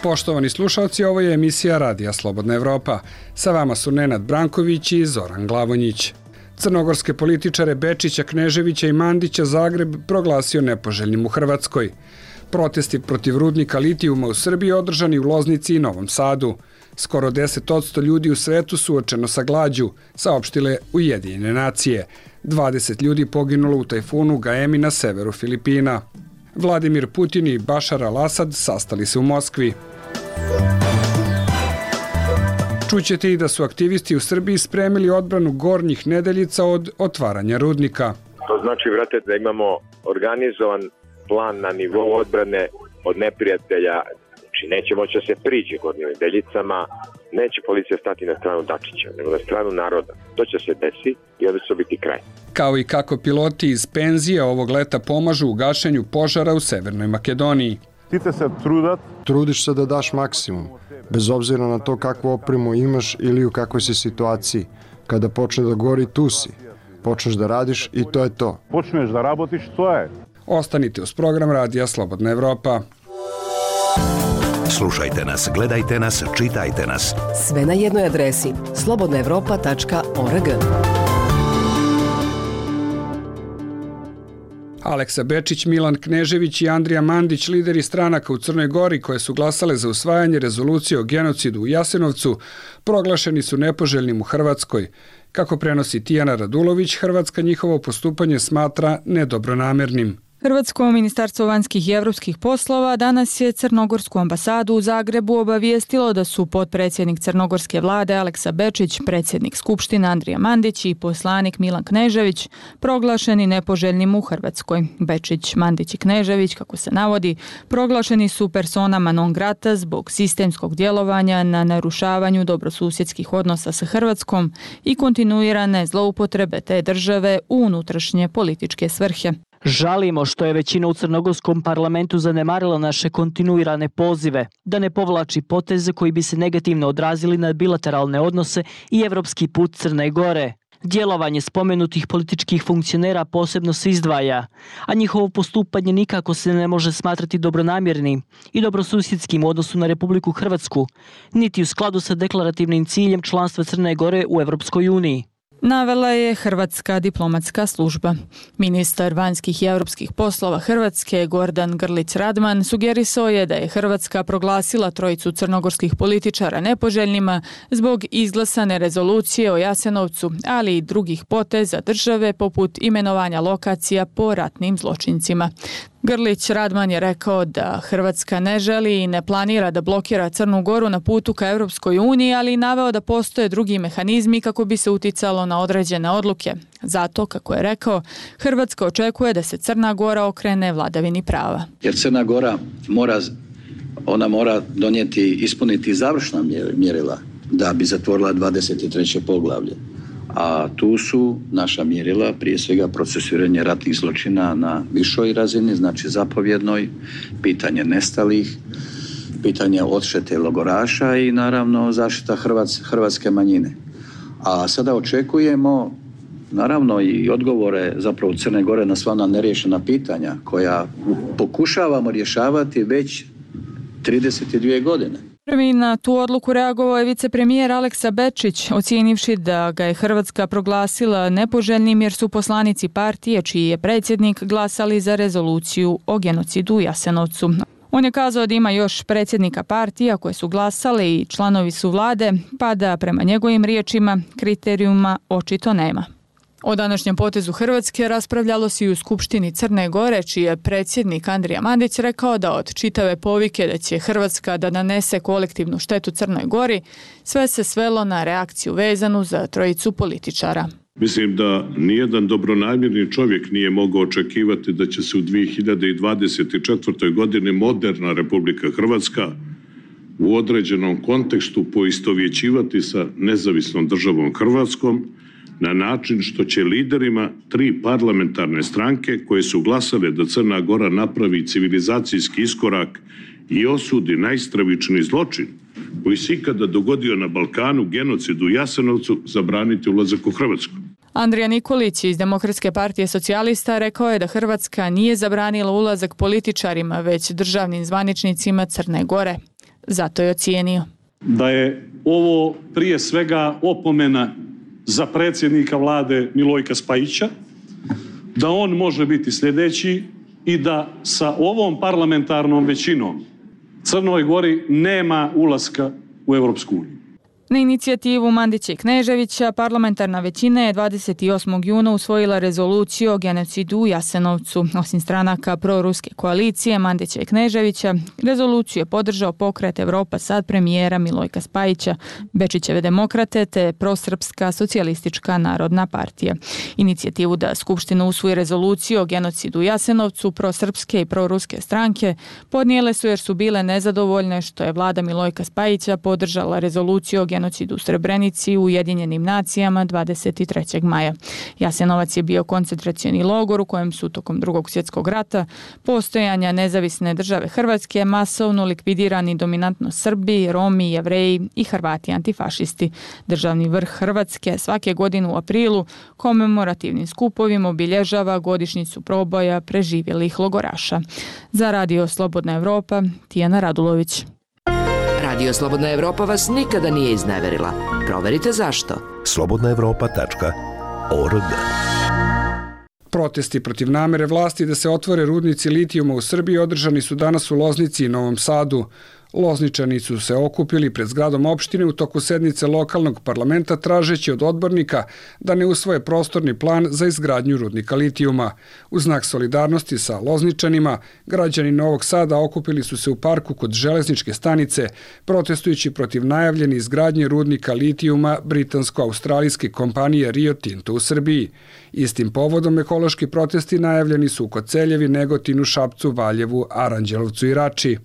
Poštovani slušalci, ovo je emisija Radija Slobodna Evropa. Sa vama su Nenad Branković i Zoran Glavonjić. Crnogorske političare Bečića, Kneževića i Mandića Zagreb proglasio nepoželjnim u Hrvatskoj. Protesti protiv rudnika litijuma u Srbiji održani u Loznici i Novom Sadu. Skoro 10% ljudi u svetu suočeno sa glađu, saopštile Ujedinjene nacije. 20 ljudi poginulo u tajfunu Gaemi na severu Filipina. Vladimir Putin i Bašar al-Asad sastali se u Moskvi. Čućete i da su aktivisti u Srbiji spremili odbranu Gornjih Nedeljica od otvaranja rudnika. To znači, vrate, da imamo organizovan plan na nivou odbrane od neprijatelja. Znači, neće moći da se priđe Gornjim Nedeljicama, neće policija stati na stranu Dačića, nego na stranu naroda. To će se desi i onda će biti kraj. Kao i kako piloti iz penzije ovog leta pomažu u gašenju požara u Severnoj Makedoniji. Trudiš se da daš maksimum, bez obzira na to kakvu opremu imaš ili u kakvoj si situaciji. Kada počne da gori, tu si. Počneš da radiš i to je to. Počneš da rabotiš, to je. Ostanite uz program Radija Slobodna Evropa. Slušajte nas, gledajte nas, čitajte nas. Sve na jednoj adresi slobodnaevropa.org. Aleksa Bečić, Milan Knežević i Andrija Mandić, lideri stranaka u Crnoj Gori koje su glasale za usvajanje rezolucije o genocidu u Jasenovcu, proglašeni su nepoželjnim u Hrvatskoj. Kako prenosi Tijana Radulović, Hrvatska njihovo postupanje smatra nedobronamernim. Hrvatsko ministarstvo vanjskih i evropskih poslova danas je Crnogorsku ambasadu u Zagrebu obavijestilo da su potpredsjednik crnogorske vlade Aleksa Bečić, predsjednik Skupštine Andrija Mandić i poslanik Milan Knežević proglašeni nepoželjnim u Hrvatskoj. Bečić, Mandić i Knežević, kako se navodi, proglašeni su personama non grata zbog sistemskog djelovanja na narušavanju dobrosusjedskih odnosa sa Hrvatskom i kontinuirane zloupotrebe te države u unutrašnje političke svrhe. Žalimo što je većina u crnogorskom parlamentu zanemarila naše kontinuirane pozive da ne povlači poteze koji bi se negativno odrazili na bilateralne odnose i evropski put Crne Gore. Djelovanje spomenutih političkih funkcionera posebno se izdvaja, a njihovo postupanje nikako se ne može smatrati dobronamjernim i dobrosusjedskim u odnosu na Republiku Hrvatsku, niti u skladu sa deklarativnim ciljem članstva Crne Gore u Evropskoj uniji. Navela je Hrvatska diplomatska služba. Ministar vanjskih i europskih poslova Hrvatske Gordan Grlić Radman sugerisao je da je Hrvatska proglasila trojicu crnogorskih političara nepoželjnima zbog izglasane rezolucije o Jasenovcu, ali i drugih poteza države poput imenovanja lokacija po ratnim zločincima. Grlić Radman je rekao da Hrvatska ne želi i ne planira da blokira Crnu Goru na putu ka Europskoj uniji, ali i naveo da postoje drugi mehanizmi kako bi se uticalo na određene odluke. Zato, kako je rekao, Hrvatska očekuje da se Crna Gora okrene vladavini prava. Jer Crna Gora mora ispuniti završna mjerila da bi zatvorila 23. poglavlje. A tu su naša mjerila, prije svega procesuiranje ratnih zločina na višoj razini, znači zapovjednoj, pitanje nestalih, pitanje odštete logoraša i naravno zaštita hrvatske manjine. A sada očekujemo naravno i odgovore zapravo Crne Gore na sva ona neriješena pitanja koja pokušavamo rješavati već 32 godine. Prvi na tu odluku reagovao je vicepremijer Aleksa Bečić, ocijenivši da ga je Hrvatska proglasila nepoželjnim jer su poslanici partije, čiji je predsjednik, glasali za rezoluciju o genocidu u Jasenovcu. On je kazao da ima još predsjednika partija koje su glasale i članovi su vlade, pa da prema njegovim riječima kriterijuma očito nema. O današnjem potezu Hrvatske raspravljalo se i u Skupštini Crne Gore, čiji je predsjednik Andrija Mandić rekao da od čitave povike da će Hrvatska da nanese kolektivnu štetu Crnoj Gori, sve se svelo na reakciju vezanu za trojicu političara. Mislim da nijedan dobronamjerni čovjek nije mogao očekivati da će se u 2024. godini moderna Republika Hrvatska u određenom kontekstu poistovjećivati sa nezavisnom državom Hrvatskom, na način što će liderima 3 parlamentarne stranke koje su glasale da Crna Gora napravi civilizacijski iskorak i osudi najstravičniji zločin koji se ikada dogodio na Balkanu, genocid u Jasenovcu, zabraniti ulazak u Hrvatsku. Andrija Nikolić iz Demokratske partije socijalista rekao je da Hrvatska nije zabranila ulazak političarima, već državnim zvaničnicima Crne Gore. Zato je ocijenio da je ovo prije svega opomena za predsjednika vlade Milojka Spajića, da on može biti sljedeći i da sa ovom parlamentarnom većinom Crnoj Gori nema ulaska u Europsku uniju. Na inicijativu Mandića i Kneževića parlamentarna većina je 28. juna usvojila rezoluciju o genocidu u Jasenovcu. Osim stranaka proruske koalicije Mandića i Kneževića, rezoluciju je podržao pokret Evropa sad premijera Milojka Spajića, Bečićeve demokrate te prosrpska socijalistička narodna partija. Inicijativu da Skupština usvoji rezoluciju o genocidu u Jasenovcu prosrpske i proruske stranke podnijele su jer su bile nezadovoljne što je vlada Milojka Spajića podržala rezoluciju o genocidu u Srebrenici u Ujedinjenim nacijama 23. maja. Jasenovac je bio koncentracioni logor u kojem su tokom Drugog svjetskog rata postojanja nezavisne države Hrvatske masovno likvidirani dominantno Srbi, Romi, Jevreji i Hrvati antifašisti. Državni vrh Hrvatske svake godine u aprilu komemorativnim skupovima obilježava godišnjicu proboja preživjelih logoraša. Za Radio Slobodna Evropa, Tijana Radulović. Radio Slobodna Evropa vas nikada nije izneverila. Proverite zašto. slobodnaevropa.org. Protesti protiv namere vlasti da se otvore rudnici litijuma u Srbiji održani su danas u Loznici i Novom Sadu. Lozničani su se okupili pred zgradom opštine u toku sednice lokalnog parlamenta tražeći od odbornika da ne usvoje prostorni plan za izgradnju rudnika litijuma. U znak solidarnosti sa Lozničanima, građani Novog Sada okupili su se u parku kod železničke stanice, protestujući protiv najavljene izgradnje rudnika litijuma britansko-australijske kompanije Rio Tinto u Srbiji. Istim povodom ekološki protesti najavljeni su u Koceljevi, Negotinu, Šapcu, Valjevu, Aranđelovcu i Rači.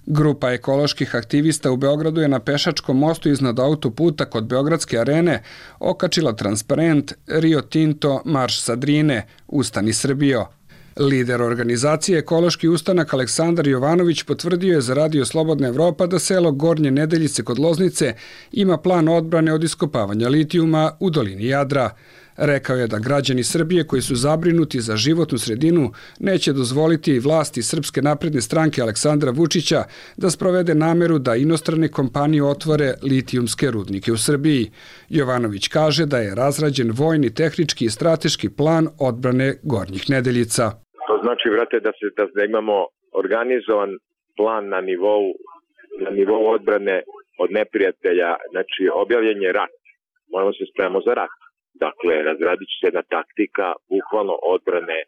Grupa ekoloških aktivista u Beogradu je na pešačkom mostu iznad autoputa kod Beogradske arene okačila transparent Rio Tinto Marš sa Drine, Ustani Srbijo. Lider organizacije Ekološki ustanak Aleksandar Jovanović potvrdio je za Radio Slobodna Evropa da selo Gornje Nedeljice kod Loznice ima plan odbrane od iskopavanja litijuma u dolini Jadra. Rekao je da građani Srbije koji su zabrinuti za životnu sredinu neće dozvoliti vlasti Srpske napredne stranke Aleksandra Vučića da sprovede nameru da inostrane kompanije otvore litijumske rudnike u Srbiji. Jovanović kaže da je razrađen vojni, tehnički i strateški plan odbrane Gornjih Nedeljica. To znači, vrate, da imamo organizovan plan na nivou odbrane od neprijatelja, znači objavljen je rat. Moramo se spremamo za rat. Dakle, razradit će se jedna taktika, bukvalno odbrane,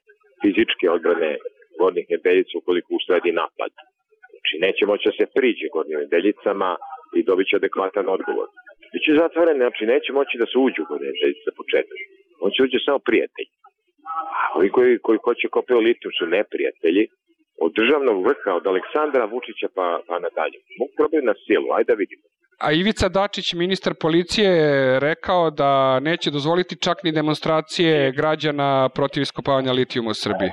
fizičke odbrane Gornjih Nedeljica ukoliko usledi napad. Znači, neće moći da se priđe Gornjim Nedeljicama i dobit će adekvatan odgovor. Biće zatvoren, znači neće moći da se uđu u Gornje Nedeljice za početak. On će uđe samo prijatelji. A ovi koji hoće kopiju litijum su neprijatelji od državnog vrha, od Aleksandra Vučića pa nadalje. Mogu probati na silu, ajde da vidimo. A Ivica Dačić, ministar policije, je rekao da neće dozvoliti čak ni demonstracije građana protiv iskopavanja litijuma u Srbiji.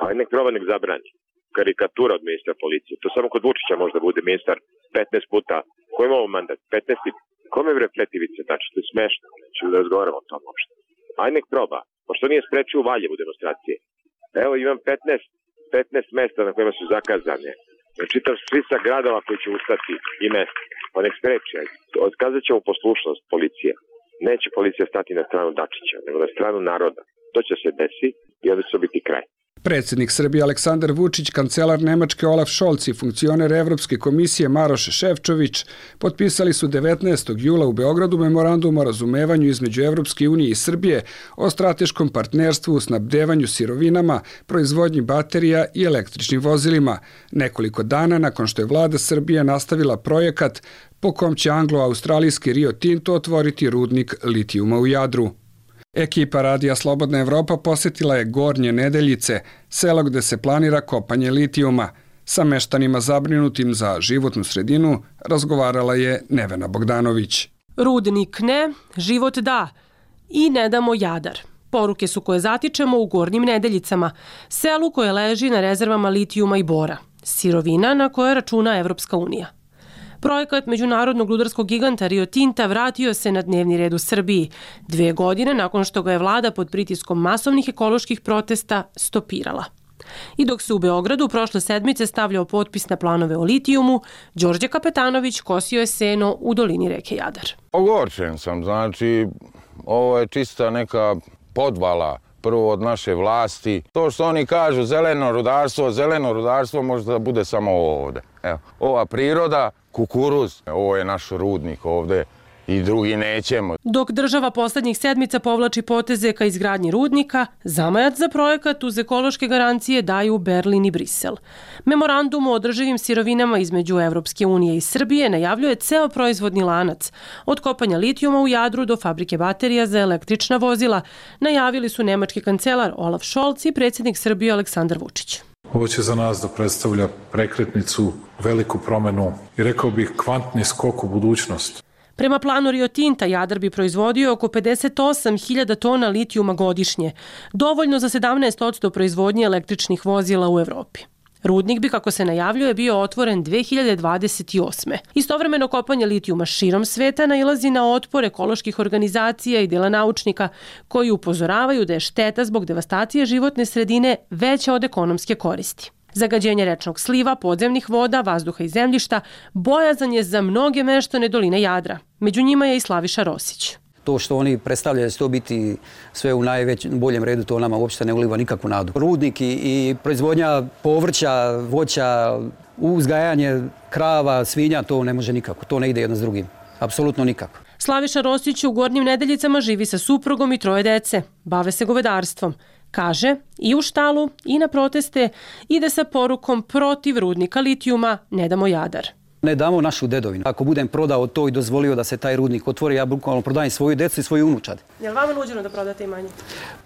A nek proba, nek zabrani. Karikatura od ministra policije. To samo kod Vučića možda bude ministar 15 puta. Ko ima ovo mandat? 15. Kome bre pleti Ivica Dačić? To je smešno. Neću da razgovaramo o tom uopšte. Aj nek proba. Pošto nije sprečio u Valjevu demonstracije. Evo imam 15 mesta na kojima su zakazane. Čitav spisak gradova koji će ustati i mesta. Pa nek spreči. Otkazat ćemo poslušnost policije. Neće policija stati na stranu Dačića, nego na stranu naroda. To će se desiti i onda će biti kraj. Predsjednik Srbije Aleksandar Vučić, kancelar Nemačke Olaf Scholz i funkcioner Evropske komisije Maroš Šefčović potpisali su 19. jula u Beogradu memorandum o razumevanju između Evropske unije i Srbije o strateškom partnerstvu u snabdevanju sirovinama, proizvodnji baterija i električnim vozilima, nekoliko dana nakon što je vlada Srbije nastavila projekat po kom će anglo-australijski Rio Tinto otvoriti rudnik litijuma u Jadru. Ekipa Radija Slobodna Evropa posjetila je Gornje Nedeljice, selo gde se planira kopanje litijuma. Sa meštanima zabrinutim za životnu sredinu razgovarala je Nevena Bogdanović. Rudnik ne, život da. I ne damo Jadar. Poruke su koje zatičemo u Gornjim Nedeljicama, selu koje leži na rezervama litijuma i bora. Sirovina na koje računa Evropska unija. Projekat međunarodnog rudarskog giganta Rio Tinta vratio se na dnevni red u Srbiji 2 godine nakon što ga je vlada pod pritiskom masovnih ekoloških protesta stopirala. I dok se u Beogradu prošle sedmice stavljao potpis na planove o litijumu, Đorđe Kapetanović kosio je seno u dolini reke Jadar. Ogorčen sam, znači ovo je čista neka podvala prvo od naše vlasti. To što oni kažu zeleno rudarstvo može da bude samo ovde. Evo, ova priroda, kukuruz, ovo je naš rudnik ovde i drugi nećemo. Dok država poslednjih sedmica povlači poteze ka izgradnji rudnika, zamajac za projekat uz ekološke garancije daju Berlin i Brisel. Memorandum o održivim sirovinama između Evropske unije i Srbije najavljuje ceo proizvodni lanac, od kopanja litijuma u Jadru do fabrike baterija za električna vozila, najavili su nemački kancelar Olaf Scholz i predsjednik Srbije Aleksandar Vučić. Ovo će za nas da predstavlja prekretnicu, veliku promenu i rekao bih kvantni skok u budućnost. Prema planu Rio Tinta, Jadar bi proizvodio oko 58.000 tona litijuma godišnje, dovoljno za 17% proizvodnje električnih vozila u Evropi. Rudnik bi, kako se najavljuje, bio otvoren 2028. Istovremeno kopanje litijuma širom sveta nailazi na otpor ekoloških organizacija i dela naučnika koji upozoravaju da je šteta zbog devastacije životne sredine veća od ekonomske koristi. Zagađenje rečnog sliva, podzemnih voda, vazduha i zemljišta bojazan je za mnoge meštane doline Jadra. Među njima je i Slaviša Rosić. To što oni predstavljaju da će to biti sve u boljem redu, to nama uopšte ne uliva nikakvu nadu. Rudnik i proizvodnja povrća, voća, uzgajanje krava, svinja, to ne može nikako. To ne ide jedno s drugim. Apsolutno nikako. Slaviša Rosić u Gornjim Nedeljicama živi sa suprugom i 3 dece. Bave se govedarstvom. Kaže, i u štalu i na proteste ide sa porukom protiv rudnika litijuma Ne damo Jadar. Ne damo našu dedovinu. Ako budem prodao to i dozvolio da se taj rudnik otvori, ja bukvalno prodajem svoju decu i svoju unučad. Je li vama nuđeno da prodate imanje?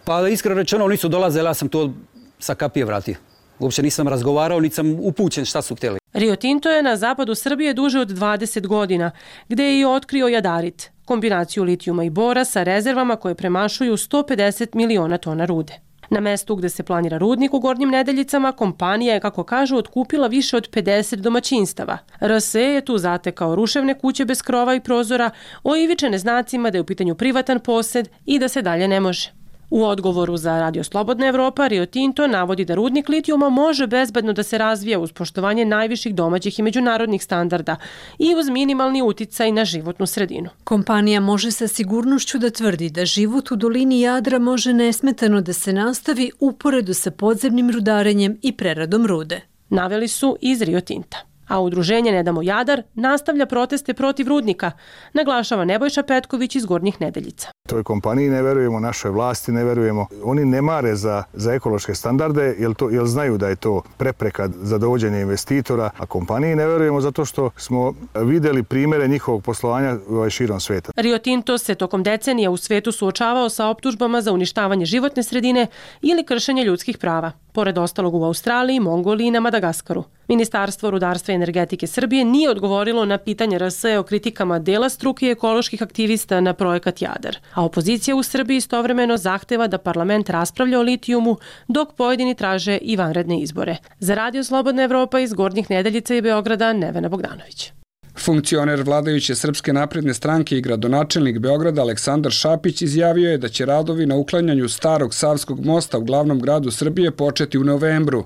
Pa iskreno rečeno, nisu dolazili, ja sam to sa kapije vratio. Uopće nisam razgovarao, niti sam upućen šta su htjeli. Rio Tinto je na zapadu Srbije duže od 20 godina, gde je i otkrio jadarit, kombinaciju litijuma i bora sa rezervama koje premašuju 150 miliona tona rude. Na mestu gde se planira rudnik u Gornjim Nedeljicama, kompanija je, kako kažu, otkupila više od 50 domaćinstava. RSE je tu zatekao ruševne kuće bez krova i prozora, oivičene znacima da je u pitanju privatan posed i da se dalje ne može. U odgovoru za Radio Slobodna Evropa, Rio Tinto navodi da rudnik litijuma može bezbedno da se razvija uz poštovanje najviših domaćih i međunarodnih standarda i uz minimalni uticaj na životnu sredinu. Kompanija može sa sigurnošću da tvrdi da život u dolini Jadra može nesmetano da se nastavi uporedu sa podzemnim rudarenjem i preradom rude. Naveli su iz Rio Tinta. A udruženje Ne damo Jadar nastavlja proteste protiv rudnika, naglašava Nebojša Petković iz Gornjih Nedeljica. Toj kompaniji ne verujemo, našoj vlasti ne verujemo. Oni ne mare za ekološke standarde jer znaju da je to prepreka za dovođenje investitora, a kompaniji ne verujemo zato što smo videli primere njihovog poslovanja širom sveta. Rio Tinto se tokom decenija u svetu suočavao sa optužbama za uništavanje životne sredine ili kršenje ljudskih prava, pored ostalog u Australiji, Mongoliji i na Madagaskaru. Ministarstvo rudarstva i energetike Srbije nije odgovorilo na pitanje RSE o kritikama dela struke i ekoloških aktivista na projekat Jadar. A opozicija u Srbiji istovremeno zahteva da parlament raspravlja o litijumu, dok pojedini traže i vanredne izbore. Za Radio Slobodna Evropa iz Gornjih Nedeljica i Beograda, Nevena Bogdanović. Funkcioner vladajuće Srpske napredne stranke i gradonačelnik Beograda Aleksandar Šapić izjavio je da će radovi na uklanjanju starog Savskog mosta u glavnom gradu Srbije početi u novembru.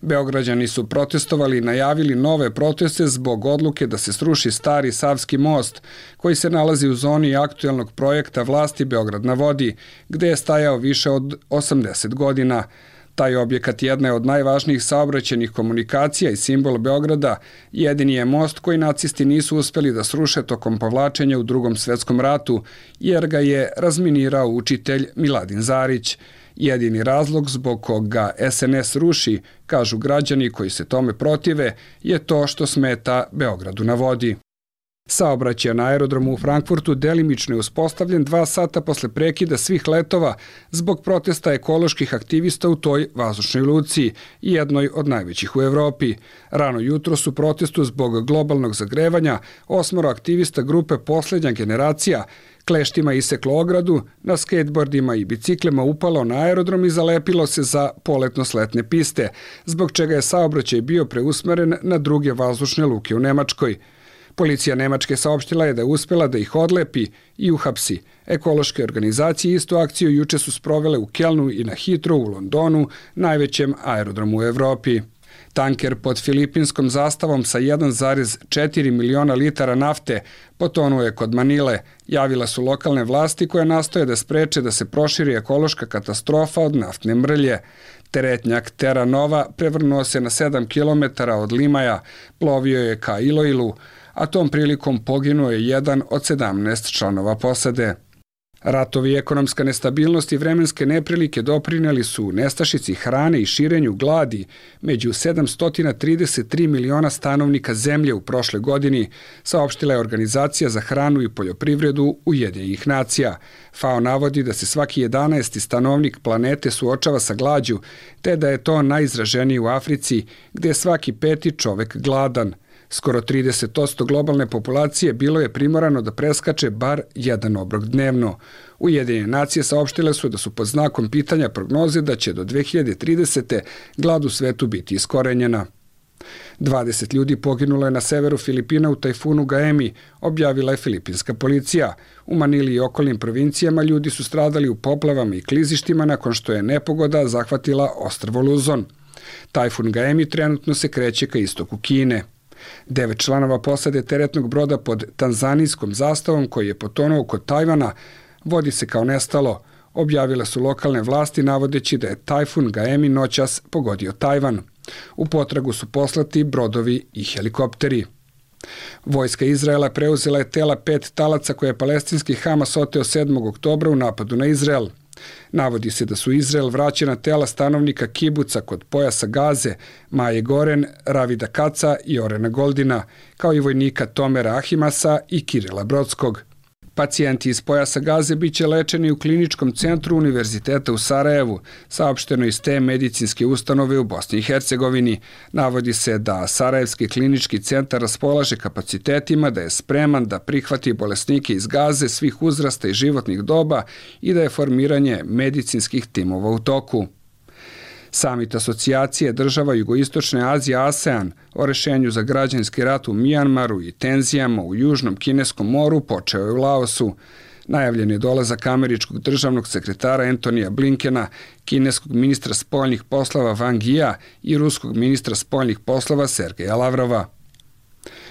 Beograđani su protestovali i najavili nove proteste zbog odluke da se sruši stari Savski most, koji se nalazi u zoni aktuelnog projekta vlasti Beograd na vodi, gde je stajao više od 80 godina. Taj objekat jedna je od najvažnijih saobraćajnih komunikacija i simbol Beograda. Jedini je most koji nacisti nisu uspeli da sruše tokom povlačenja u Drugom svetskom ratu, jer ga je razminirao učitelj Miladin Zarić. Jedini razlog zbog koga SNS ruši, kažu građani koji se tome protive, je to što smeta Beogradu na vodi. Saobraćaj na aerodromu u Frankfurtu delimično je uspostavljen 2 sata posle prekida svih letova zbog protesta ekoloških aktivista u toj vazdušnoj luci, jednoj od najvećih u Evropi. Rano jutro su protestu zbog globalnog zagrevanja 8 aktivista grupe Poslednja generacija kleštima iseklo ogradu, na skateboardima i biciklima upalo na aerodrom i zalepilo se za poletno-sletne piste, zbog čega je saobraćaj bio preusmeren na druge vazdušne luke u Nemačkoj. Policija Nemačke saopštila je da je uspela da ih odlepi i uhapsi. Ekološke organizacije istu akciju juče su sprovele u Kelnu i na Heathrow u Londonu, najvećem aerodromu u Evropi. Tanker pod filipinskom zastavom sa 1,4 miliona litara nafte potonuo je kod Manile. Javila su lokalne vlasti koje nastoje da spreče da se proširi ekološka katastrofa od naftne mrlje. Teretnjak Terra Nova prevrnuo se na 7 km od Limaja, plovio je ka Iloilu, a tom prilikom poginuo je jedan od 17 članova posade. Ratovi, ekonomska nestabilnost i vremenske neprilike doprineli su nestašici hrane i širenju gladi među 733 miliona stanovnika zemlje u prošle godini, saopštila je Organizacija za hranu i poljoprivredu Ujedinjenih nacija. FAO navodi da se svaki 11. stanovnik planete suočava sa glađu, te da je to najizraženije u Africi, gde je svaki 5. čovek gladan. Skoro 30% globalne populacije bilo je primorano da preskače bar jedan obrok dnevno. Ujedinjene nacije saopštile su da su pod znakom pitanja prognoze da će do 2030. glad u svetu biti iskorenjena. 20 ljudi poginulo je na severu Filipina u tajfunu Gaemi, objavila je filipinska policija. U Manili i okolnim provincijama ljudi su stradali u poplavama i klizištima nakon što je nepogoda zahvatila ostrvo Luzon. Tajfun Gaemi trenutno se kreće ka istoku Kine. 9 članova posade teretnog broda pod tanzanijskom zastavom koji je potonuo kod Tajvana vodi se kao nestalo, objavile su lokalne vlasti navodeći da je tajfun Gaemi noćas pogodio Tajvan. U potragu su poslati brodovi i helikopteri. Vojska Izraela preuzela je tela 5 talaca koje je palestinski Hamas oteo 7. oktobra u napadu na Izrael. Navodi se da su Izrael vraćena tela stanovnika kibuca kod pojasa Gaze, Maje Goren, Ravida Kaca i Orena Goldina, kao i vojnika Tomera Ahimasa i Kirila Brodskog. Pacijenti iz pojasa Gaze biće lečeni u kliničkom centru Univerziteta u Sarajevu, saopšteno iz te medicinske ustanove u Bosni i Hercegovini. Navodi se da Sarajevski klinički centar raspolaže kapacitetima, da je spreman da prihvati bolesnike iz Gaze svih uzrasta i životnih doba i da je formiranje medicinskih timova u toku. Samit asocijacije država Jugoistočne Azije ASEAN o rešenju za građanski rat u Mijanmaru i tenzijama u Južnom Kineskom moru počeo je u Laosu. Najavljen je dolazak američkog državnog sekretara Antonija Blinkena, kineskog ministra spoljnih poslova Wang Yia i ruskog ministra spoljnih poslova Sergeja Lavrova.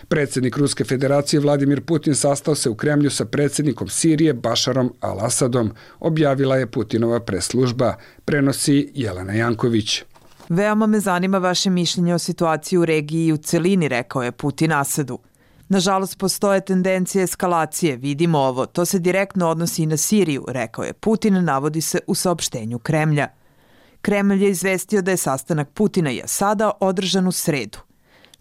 Predsjednik Ruske federacije Vladimir Putin sastao se u Kremlju sa predsjednikom Sirije Bašarom al-Asadom, objavila je Putinova press-služba, prenosi Jelena Janković. Veoma me zanima vaše mišljenje o situaciji u regiji i u celini, rekao je Putin Asadu. Nažalost, postoje tendencije eskalacije, vidimo ovo, to se direktno odnosi i na Siriju, rekao je Putin, navodi se u saopštenju Kremlja. Kremlj je izvestio da je sastanak Putina i Asada održan u sredu.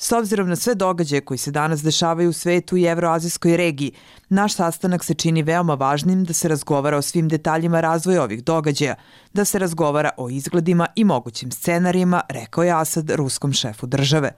S obzirom na sve događaje koji se danas dešavaju u svetu i evroazijskoj regiji, naš sastanak se čini veoma važnim da se razgovara o svim detaljima razvoja ovih događaja, da se razgovara o izgledima i mogućim scenarijima, rekao je Asad ruskom šefu države.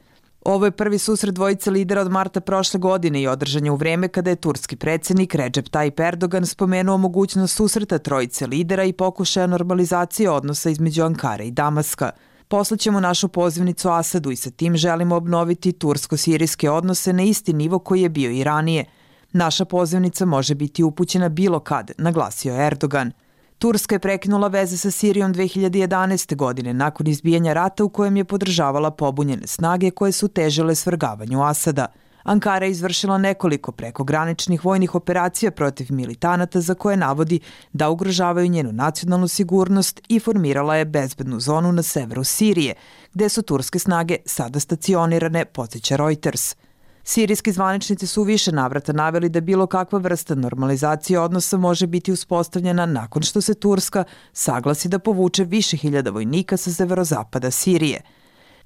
Ovo je prvi susret dvojice lidera od marta prošle godine i održan je u vreme kada je turski predsjednik Recep Tayyip Erdogan spomenuo mogućnost susreta trojice lidera i pokušaja normalizacije odnosa između Ankare i Damaska. Poslaćemo našu pozivnicu Asadu i sa tim želimo obnoviti tursko-sirijske odnose na isti nivo koji je bio i ranije. Naša pozivnica može biti upućena bilo kad, naglasio je Erdogan. Turska je prekinula veze sa Sirijom 2011. godine nakon izbijanja rata u kojem je podržavala pobunjene snage koje su težile svrgavanju Asada. Ankara je izvršila nekoliko prekograničnih vojnih operacija protiv militanata za koje navodi da ugrožavaju njenu nacionalnu sigurnost i formirala je bezbednu zonu na severu Sirije, gde su turske snage sada stacionirane, podsjeća Reuters. Sirijski zvaničnici su u više navrata naveli da bilo kakva vrsta normalizacije odnosa može biti uspostavljena nakon što se Turska saglasi da povuče više hiljada vojnika sa severozapada Sirije.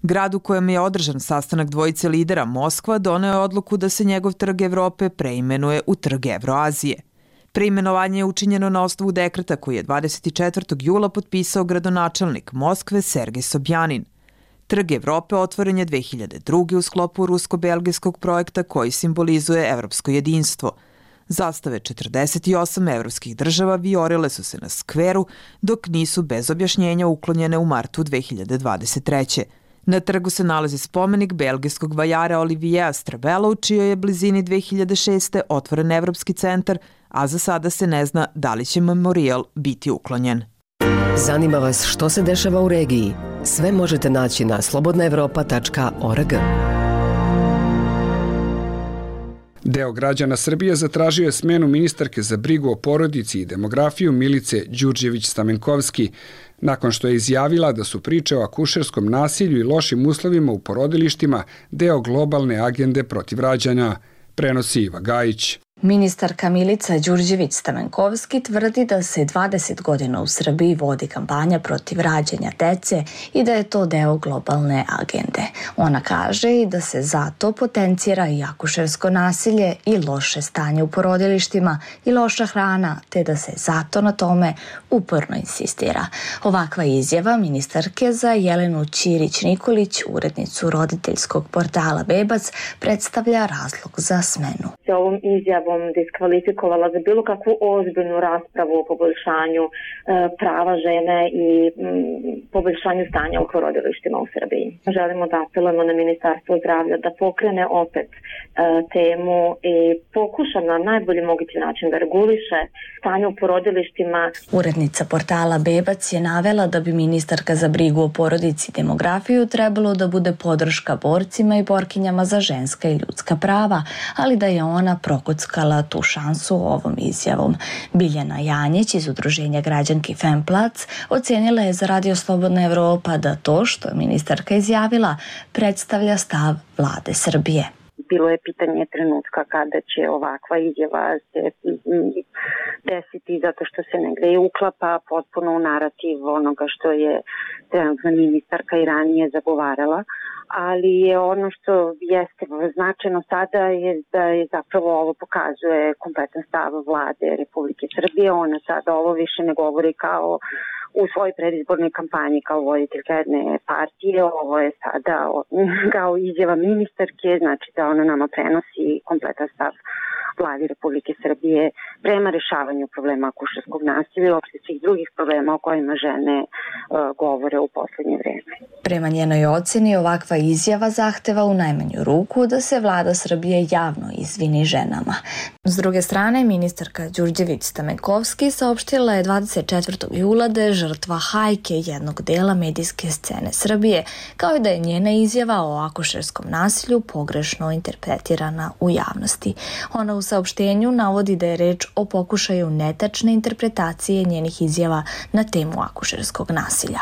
Grad u kojem je održan sastanak dvojice lidera, Moskva, doneo je odluku da se njegov trg Evrope preimenuje u trg Evroazije. Preimenovanje je učinjeno na osnovu dekreta koji je 24. jula potpisao gradonačelnik Moskve Sergej Sobjanin. Trg Evrope otvoren je 2002. u sklopu rusko-belgijskog projekta koji simbolizuje evropsko jedinstvo. Zastave 48 evropskih država vijorile su se na skveru, dok nisu bez objašnjenja uklonjene u martu 2023. Na trgu se nalazi spomenik belgijskog vajara Oliviera Stravela, u čijoj je blizini 2006. otvoren Evropski centar, a za sada se ne zna da li će memorijal biti uklonjen. Zanima vas što se dešava u regiji? Sve možete naći na slobodnaevropa.org. Deo građana Srbije zatražio je smenu ministarke za brigu o porodici i demografiju Milice Đurđević-Stamenkovski, nakon što je izjavila da su priče o akušerskom nasilju i lošim uslovima u porodilištima deo globalne agende protiv rađanja, prenosi Iva Gajić. Ministarka Milica Đurđević-Stamenkovski tvrdi da se 20 godina u Srbiji vodi kampanja protiv rađanja dece i da je to deo globalne agende. Ona kaže i da se zato potencira i akušersko nasilje i loše stanje u porodilištima i loša hrana, te da se zato na tome uporno insistira. Ovakva izjava ministarke za Jelenu Ćirić-Nikolić, urednicu roditeljskog portala Bebac, predstavlja razlog za smenu. Ovom izjavom diskvalifikovala za bilo kakvu ozbiljnu raspravu o poboljšanju prava žene i poboljšanju stanja u porodilištima u Srbiji. Želimo da apelujemo na Ministarstvo zdravlja da pokrene opet temu i pokuša na najbolji mogući način da reguliše stanje u porodilištima. Urednica portala Bebac je navela da bi ministarka za brigu o porodici i demografiju trebalo da bude podrška borcima i borkinjama za ženska i ljudska prava, ali da je ona prokockala tu šansu ovom izjavom. Biljana Janjić iz udruženja građanki Femplac ocenila je za Radio Slobodna Evropa da to što je ministarka izjavila predstavlja stav vlade Srbije. Bilo je pitanje trenutka kada će ovakva izjava se desiti zato što se negde i uklapa potpuno u narativ onoga što je trenutna ministarka i ranije zagovarala, ali je ono što jeste značajno sada je da je zapravo ovo pokazuje kompletan stav vlade Republike Srbije. Ona sada ovo više ne govori kao u svojoj predizbornoj kampanji kao voditeljka jedne partije. Ovo je sada kao izjava ministarke, znači da ona nama prenosi kompletan stav vladi Republike Srbije prema rešavanju problema akušerskog nasilja i uopšte svih drugih problema o kojima žene govore u poslednje vreme. Prema njenoj oceni, ovakva izjava zahteva u najmanju ruku da se vlada Srbije javno izvini ženama. S druge strane, ministarka Đurđević-Stamenkovski saopštila je 24. jula da je žrtva hajke jednog dela medijske scene Srbije, kao i da je njena izjava o akušerskom nasilju pogrešno interpretirana u javnosti. Ona u saopštenju navodi da je reč o pokušaju netačne interpretacije njenih izjava na temu akušerskog nasilja.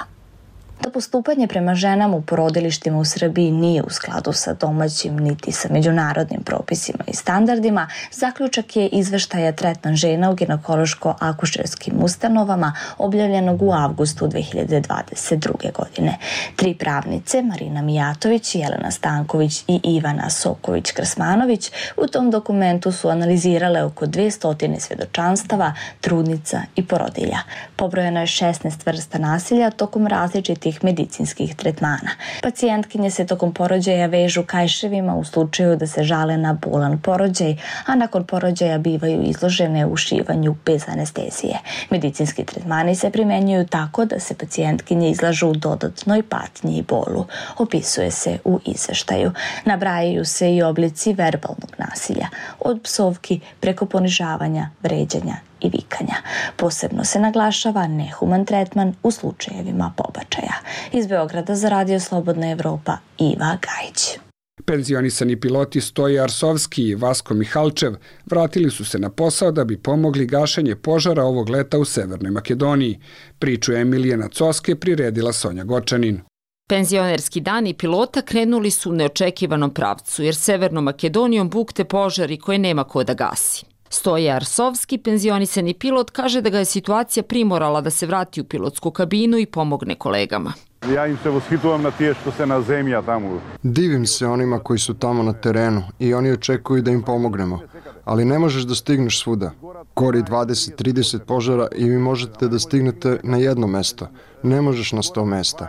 Da postupanje prema ženama u porodilištima u Srbiji nije u skladu sa domaćim niti sa međunarodnim propisima i standardima, zaključak je izveštaja Tretman žena u ginekološko-akušerskim ustanovama objavljenog u avgustu 2022. godine. 3 pravnice, Marina Mijatović, Jelena Stanković i Ivana Soković-Krsmanović, u tom dokumentu su analizirale oko 200 svjedočanstava, trudnica i porodilja. Pobrojeno je 16 vrsta nasilja tokom različitih medicinskih tretmana. Pacijentkinje se tokom porođaja vežu kajševima u slučaju da se žale na bolan porođaj, a nakon porođaja bivaju izložene ušivanju bez anestezije. Medicinski tretmani se primenjuju tako da se pacijentkinje izlažu dodatnoj patnji i bolu. Opisuje se u izveštaju. Nabrajaju se i oblici verbalnog nasilja, od psovki preko ponižavanja, vređanja i vikanja. Posebno se naglašava nehuman tretman u slučajevima pobačaja. Iz Beograda za Radio Slobodna Evropa, Iva Gajić. Penzionisani piloti Stoje Arsovski i Vasko Mihalčev vratili su se na posao da bi pomogli gašenje požara ovog leta u Severnoj Makedoniji. Priču Emilijana Coske priredila Sonja Gočanin. Penzionerski dani pilota krenuli su u neočekivanom pravcu, jer Severnom Makedonijom bukte požari koje nema ko da gasi. Stoje Arsovski, penzionisani pilot, kaže da ga je situacija primorala da se vrati u pilotsku kabinu i pomogne kolegama. Ja im se voshitujem na tije što se na zemlja tamo. Divim se onima koji su tamo na terenu i oni očekuju da im pomognemo, ali ne možeš da stigneš svuda. Gori 20-30 požara i vi možete da stignete na jedno mesto, ne možeš na 100 mesta.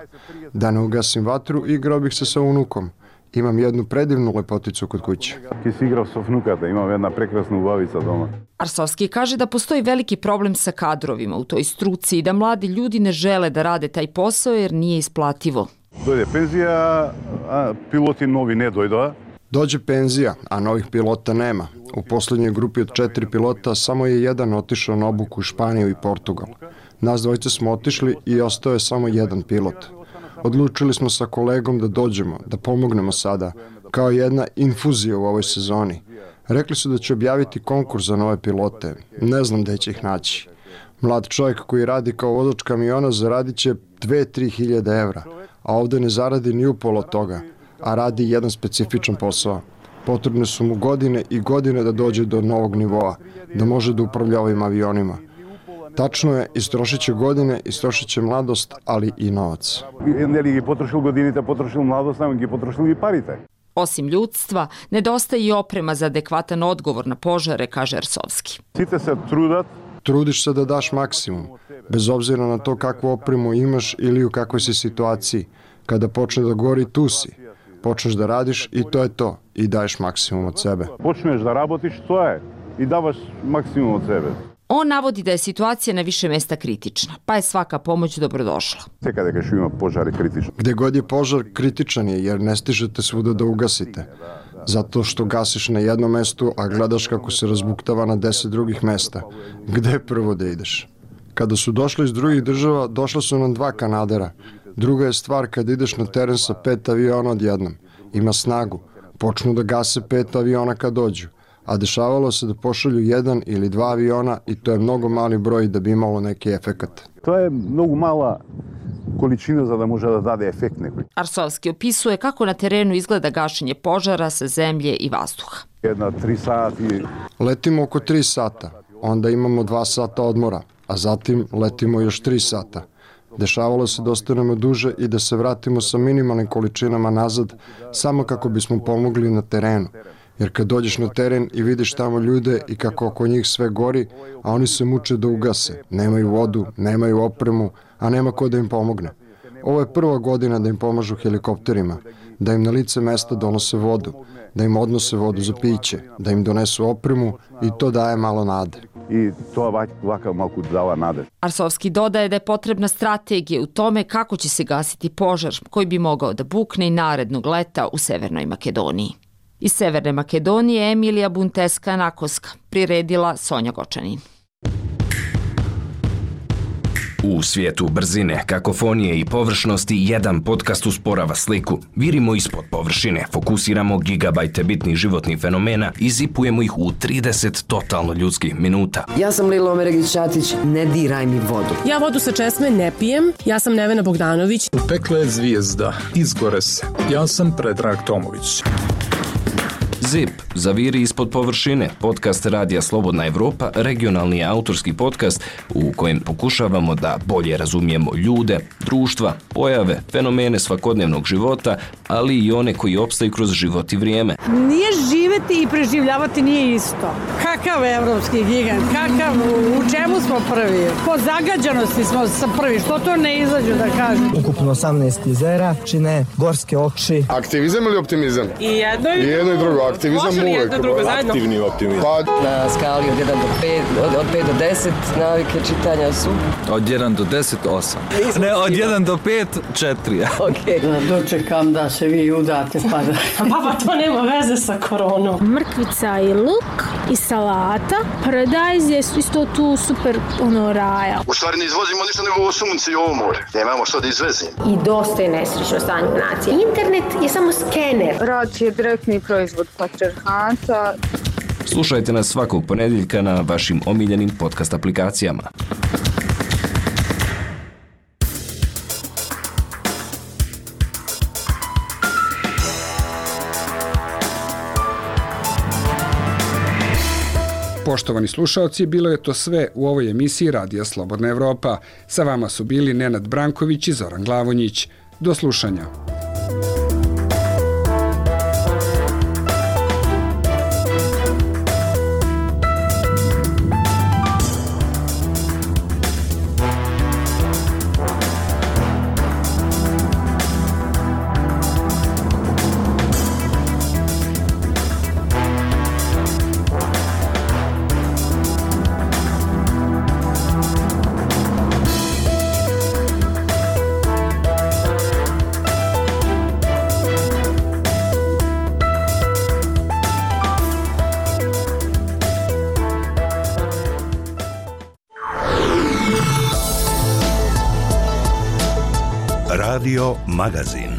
Da ne ugasim vatru, igrao bih se sa unukom. Imam jednu predivnu lepoticu kod kuće. Ki si igrao sa vnukata, imam jedna prekrasna ubavica doma. Arsovski kaže da postoji veliki problem sa kadrovima u toj struci i da mladi ljudi ne žele da rade taj posao jer nije isplativo. Dojde penzija, a piloti novi ne dojda. Dođe penzija, a novih pilota nema. U poslednjoj grupi od 4 pilota samo je jedan otišao na obuku u Španiju i Portugal. Nas dvojice smo otišli i ostao je samo jedan pilot. Odlučili smo sa kolegom da dođemo, da pomognemo sada, kao jedna infuzija u ovoj sezoni. Rekli su da će objaviti konkurs za nove pilote. Ne znam gde će ih naći. Mlad čovjek koji radi kao vozač kamiona zaradit će 2-3 hiljade evra, a ovde ne zaradi ni upola toga, a radi jedan specifičan posao. Potrebne su mu godine i godine da dođe do novog nivoa, da može da upravlja ovim avionima. Tačno je, istrošit će godine, istrošit će mladost, ali i novac. Ne li gi potrošil godiните, potrošil mladost, nego gi potrošil i parite. Osim ljudstva, nedostaje i oprema za adekvatan odgovor na požare, kaže Arsovski. Site se trudat. Trudiš se da daš maksimum, bez obzira na to kakvu opremu imaš ili u kakvoj si situaciji. Kada počne da gori, tu si. Počneš da radiš i to je to. I daješ maksimum od sebe. Počneš da rabotiš, to je. I davaš maksimum od sebe. On navodi da je situacija na više mesta kritična, pa je svaka pomoć dobrodošla. Kada kažu ima požari kritični. Gde god je požar, kritičan je jer ne stižete svuda da ugasite. Zato što gasiš na jednom mestu, a gledaš kako se razbuktava na 10 drugih mesta. Gde prvo da ideš? Kada su došli iz drugih država, došla su nam 2 Kanadera. Druga je stvar kad ideš na teren sa 5 aviona odjednom. Ima snagu. Počnu da gase 5 aviona kad dođu. A dešavalo se da pošalju 1 ili 2 aviona i to je mnogo mali broj da bi imalo neki efekat. To je mnogo mala količina za da može da dade efekt nekoj. Arsovski opisuje kako na terenu izgleda gašenje požara sa zemlje i vazduha. 3 sati. Letimo oko 3 sata, onda imamo 2 sata odmora, a zatim letimo još 3 sata. Dešavalo se da ostanemo duže i da se vratimo sa minimalnim količinama nazad samo kako bismo pomogli na terenu. Jer kad dođeš na teren i vidiš tamo ljude i kako oko njih sve gori, a oni se muče da ugase, nemaju vodu, nemaju opremu, a nema ko da im pomogne. Ovo je prva godina da im pomažu helikopterima, da im na lice mesta donose vodu, da im odnose vodu za piće, da im donesu opremu i to daje malo nade. I to ovakav malko dava nade. Arsovski dodaje da je potrebna strategija u tome kako će se gasiti požar koji bi mogao da bukne i narednog leta u Severnoj Makedoniji. Iz Severne Makedonije Emilija Bunteska-Nakoska, priredila Sonja Gočanin. U svijetu brzine, kakofonije i površnosti jedan podcast usporava sliku. Virimo ispod površine, fokusiramo gigabajte bitnih životnih fenomena i zipujemo ih u 30 totalno ljudskih minuta. Ja sam Lila Omeregić-Ćatić, ne diraj mi vodu. Ja vodu sa česme ne pijem, ja sam Nevena Bogdanović. U pekle je zvijezda, izgore se. Ja sam Predrag Tomović. ZIP, zaviri ispod površine, podcast Radija Slobodna Evropa, regionalni autorski podcast u kojem pokušavamo da bolje razumijemo ljude, društva, pojave, fenomene svakodnevnog života, ali i one koji opstaju kroz život i vrijeme. Nije živeti i preživljavati nije isto. Kakav evropski gigant, kakav, u čemu smo prvi? Po zagađanosti smo prvi, što to ne izađu da kažem? Ukupno 18 jezera, čine gorske oči. Aktivizam ili optimizam? I jedno i drugo. Aktivizam uvek. Aktivni optimizam. Na skali od 1 do 5, od 5 do 10 navike čitanja su? Od 1 do 10, 8. Ne, od 1 do 5, 4. Okay. Dočekam da se vi udate pa da... Baba, to nema veze sa koronom. Mrkvica i luk i salata. Paradajz je isto tu super raja. U stvari ne izvozimo ništa nego ovo sunce i ovo more. Nemamo što da izvezimo. I dosta je nesrećno stanje nacije. Internet je samo skener. Rad je direktni proizvod patriarhata. Slušajte nas svakog ponedjeljka na vašim omiljenim podcast aplikacijama. Poštovani slušaoci, bilo je to sve u ovoj emisiji Radija Slobodna Evropa. Sa vama su bili Nenad Branković i Zoran Glavonjić. Do slušanja. Radio Magazin.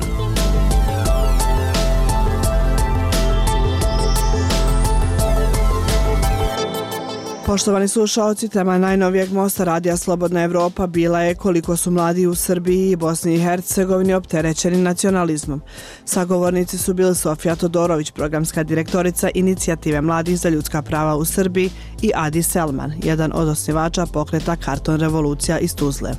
Poštovani slušaoci, tema najnovijeg mosta Radija Slobodna Evropa bila je koliko su mladi u Srbiji i Bosni i Hercegovini opterećeni nacionalizmom. Sagovornici su bili Sofija Todorović, programska direktorica Inicijative mladih za ljudska prava u Srbiji, i Adi Selman, jedan od osnivača pokreta Karton revolucija iz Tuzle.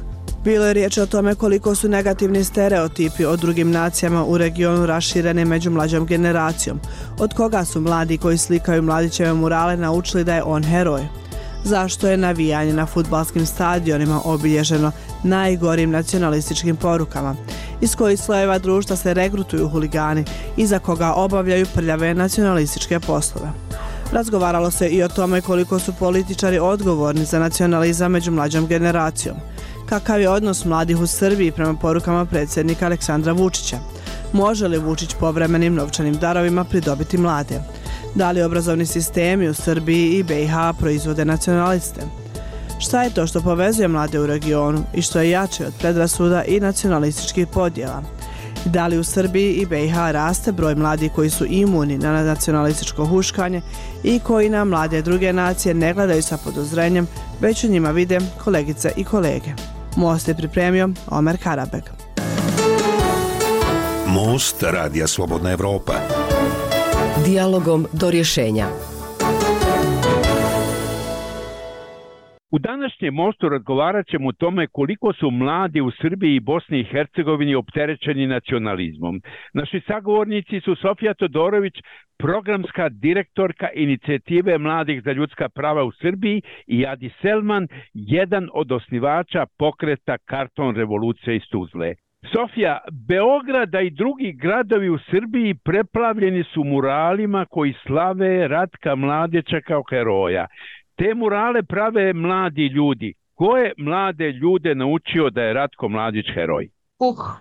Bilo je riječ o tome koliko su negativni stereotipi o drugim nacijama u regionu rašireni među mlađom generacijom, od koga su mladi koji slikaju Mladićeve murale naučili da je on heroj. Zašto je navijanje na fudbalskim stadionima obilježeno najgorim nacionalističkim porukama, iz kojih slojeva društva se regrutuju huligani i za koga obavljaju prljave nacionalističke poslove. Razgovaralo se i o tome koliko su političari odgovorni za nacionalizam među mlađom generacijom. Kakav je odnos mladih u Srbiji prema porukama predsjednika Aleksandra Vučića? Može li Vučić povremenim novčanim darovima pridobiti mlade? Da li obrazovni sistemi u Srbiji i BiH proizvode nacionaliste? Šta je to što povezuje mlade u regionu i što je jače od predrasuda i nacionalističkih podjela? Da li u Srbiji i BiH raste broj mladih koji su imuni na nacionalističko huškanje i koji na mlade druge nacije ne gledaju sa podozrenjem, već u njima vide kolegice i kolege? Most je pripremio Omer Karabeg. Most Radija Slobodna Evropa. Dijalogom do rješenja. U današnjem mostu razgovarat ćemo o tome koliko su mladi u Srbiji i Bosni i Hercegovini opterećeni nacionalizmom. Naši sagovornici su Sofija Todorović, programska direktorka Inicijative mladih za ljudska prava u Srbiji, i Adi Selman, jedan od osnivača pokreta Karton revolucija iz Tuzle. Sofija, Beograda i drugi gradovi u Srbiji preplavljeni su muralima koji slave Ratka Mladića kao heroja. Te murale prave mladi ljudi. Ko je mlade ljude naučio da je Ratko Mladić heroj?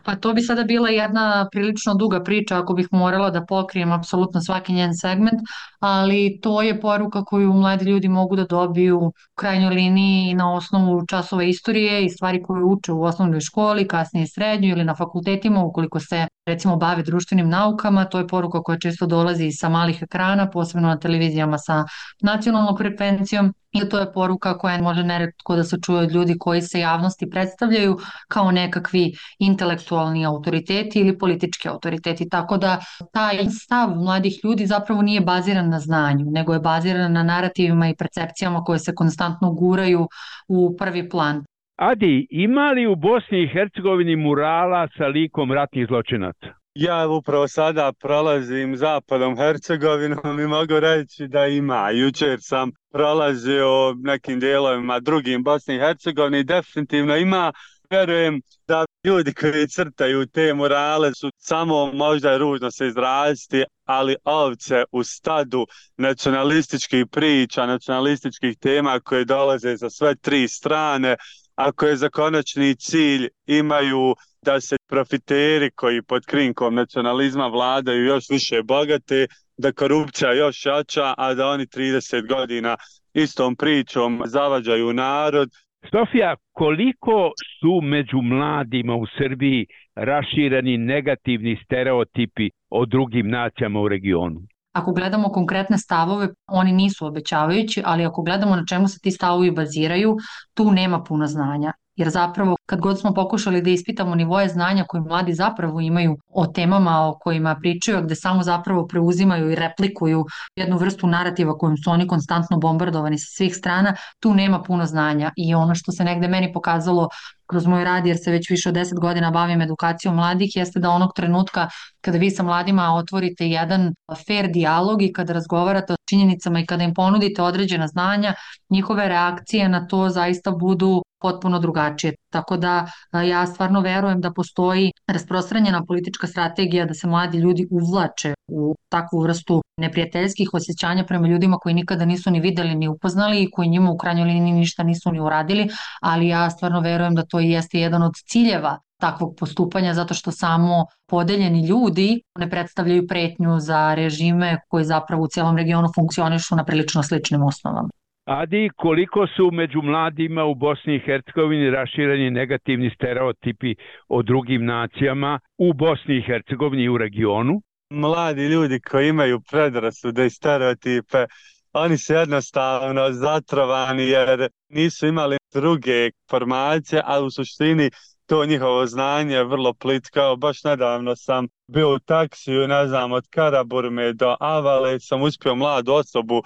Pa to bi sada bila jedna prilično duga priča ako bih morala da pokrijem apsolutno svaki njen segment, ali to je poruka koju mladi ljudi mogu da dobiju u krajnjoj liniji na osnovu časova istorije i stvari koje uče u osnovnoj školi, kasnije srednjoj ili na fakultetima ukoliko se recimo bave društvenim naukama. To je poruka koja često dolazi sa malih ekrana, posebno na televizijama sa nacionalnom frekvencijom, i to je poruka koja može neretko da se čuje od ljudi koji se javnosti predstavljaju kao nekakvi intelektualni autoriteti ili politički autoriteti. Tako da taj stav mladih ljudi zapravo nije baziran na znanju, nego je baziran na narativima i percepcijama koje se konstantno guraju u prvi plan. Adi, ima li u Bosni i Hercegovini murala sa likom ratnih zločinaca? Ja upravo sada prolazim zapadom Hercegovinom i mogu reći da ima. Jučer sam prolazio nekim dijelovima drugim Bosne i Hercegovine i definitivno ima. Vjerujem da ljudi koji crtaju te murale su samo, možda je ružno se izraziti, ali ovce u stadu nacionalističkih priča, nacionalističkih tema koje dolaze za sve tri strane, a koje za konačni cilj imaju da se profiteri koji pod krinkom nacionalizma vladaju još više bogate, da korupcija još jača, a da oni 30 godina istom pričom zavađaju narod. Sofija, koliko su među mladima u Srbiji rašireni negativni stereotipi o drugim nacijama u regionu? Ako gledamo konkretne stavove, oni nisu obećavajući, ali ako gledamo na čemu se ti stavovi baziraju, tu nema puno znanja. Jer zapravo kad god smo pokušali da ispitamo nivoje znanja koje mladi zapravo imaju o temama o kojima pričaju, gde samo zapravo preuzimaju i replikuju jednu vrstu narativa kojom su oni konstantno bombardovani sa svih strana, tu nema puno znanja. I ono što se negde meni pokazalo kroz moj rad, jer se već više od 10 godina bavim edukacijom mladih, jeste da onog trenutka kada vi sa mladima otvorite jedan fair dijalog i kada razgovarate o činjenicama i kada im ponudite određena znanja, njihove reakcije na to zaista budu potpuno drugačije. Tako da ja stvarno verujem da postoji rasprostranjena politička strategija da se mladi ljudi uvlače u takvu vrstu neprijateljskih osjećanja prema ljudima koji nikada nisu ni videli ni upoznali i koji njima u krajnjoj liniji ništa nisu ni uradili, ali ja stvarno verujem da to jeste jedan od ciljeva takvog postupanja, zato što samo podeljeni ljudi ne predstavljaju pretnju za režime koji zapravo u cijelom regionu funkcionišu na prilično sličnim osnovama. Adi, koliko su među mladima u Bosni i Hercegovini rašireni negativni stereotipi o drugim nacijama u Bosni i Hercegovini i u regionu? Mladi ljudi koji imaju predrasude i stereotipe, oni su jednostavno zatrovani jer nisu imali druge informacije, a u suštini to njihovo znanje je vrlo plitkao. Baš nedavno sam bio u taksiju, ne znam, od Karaburme do Avale, sam uspio mladu osobu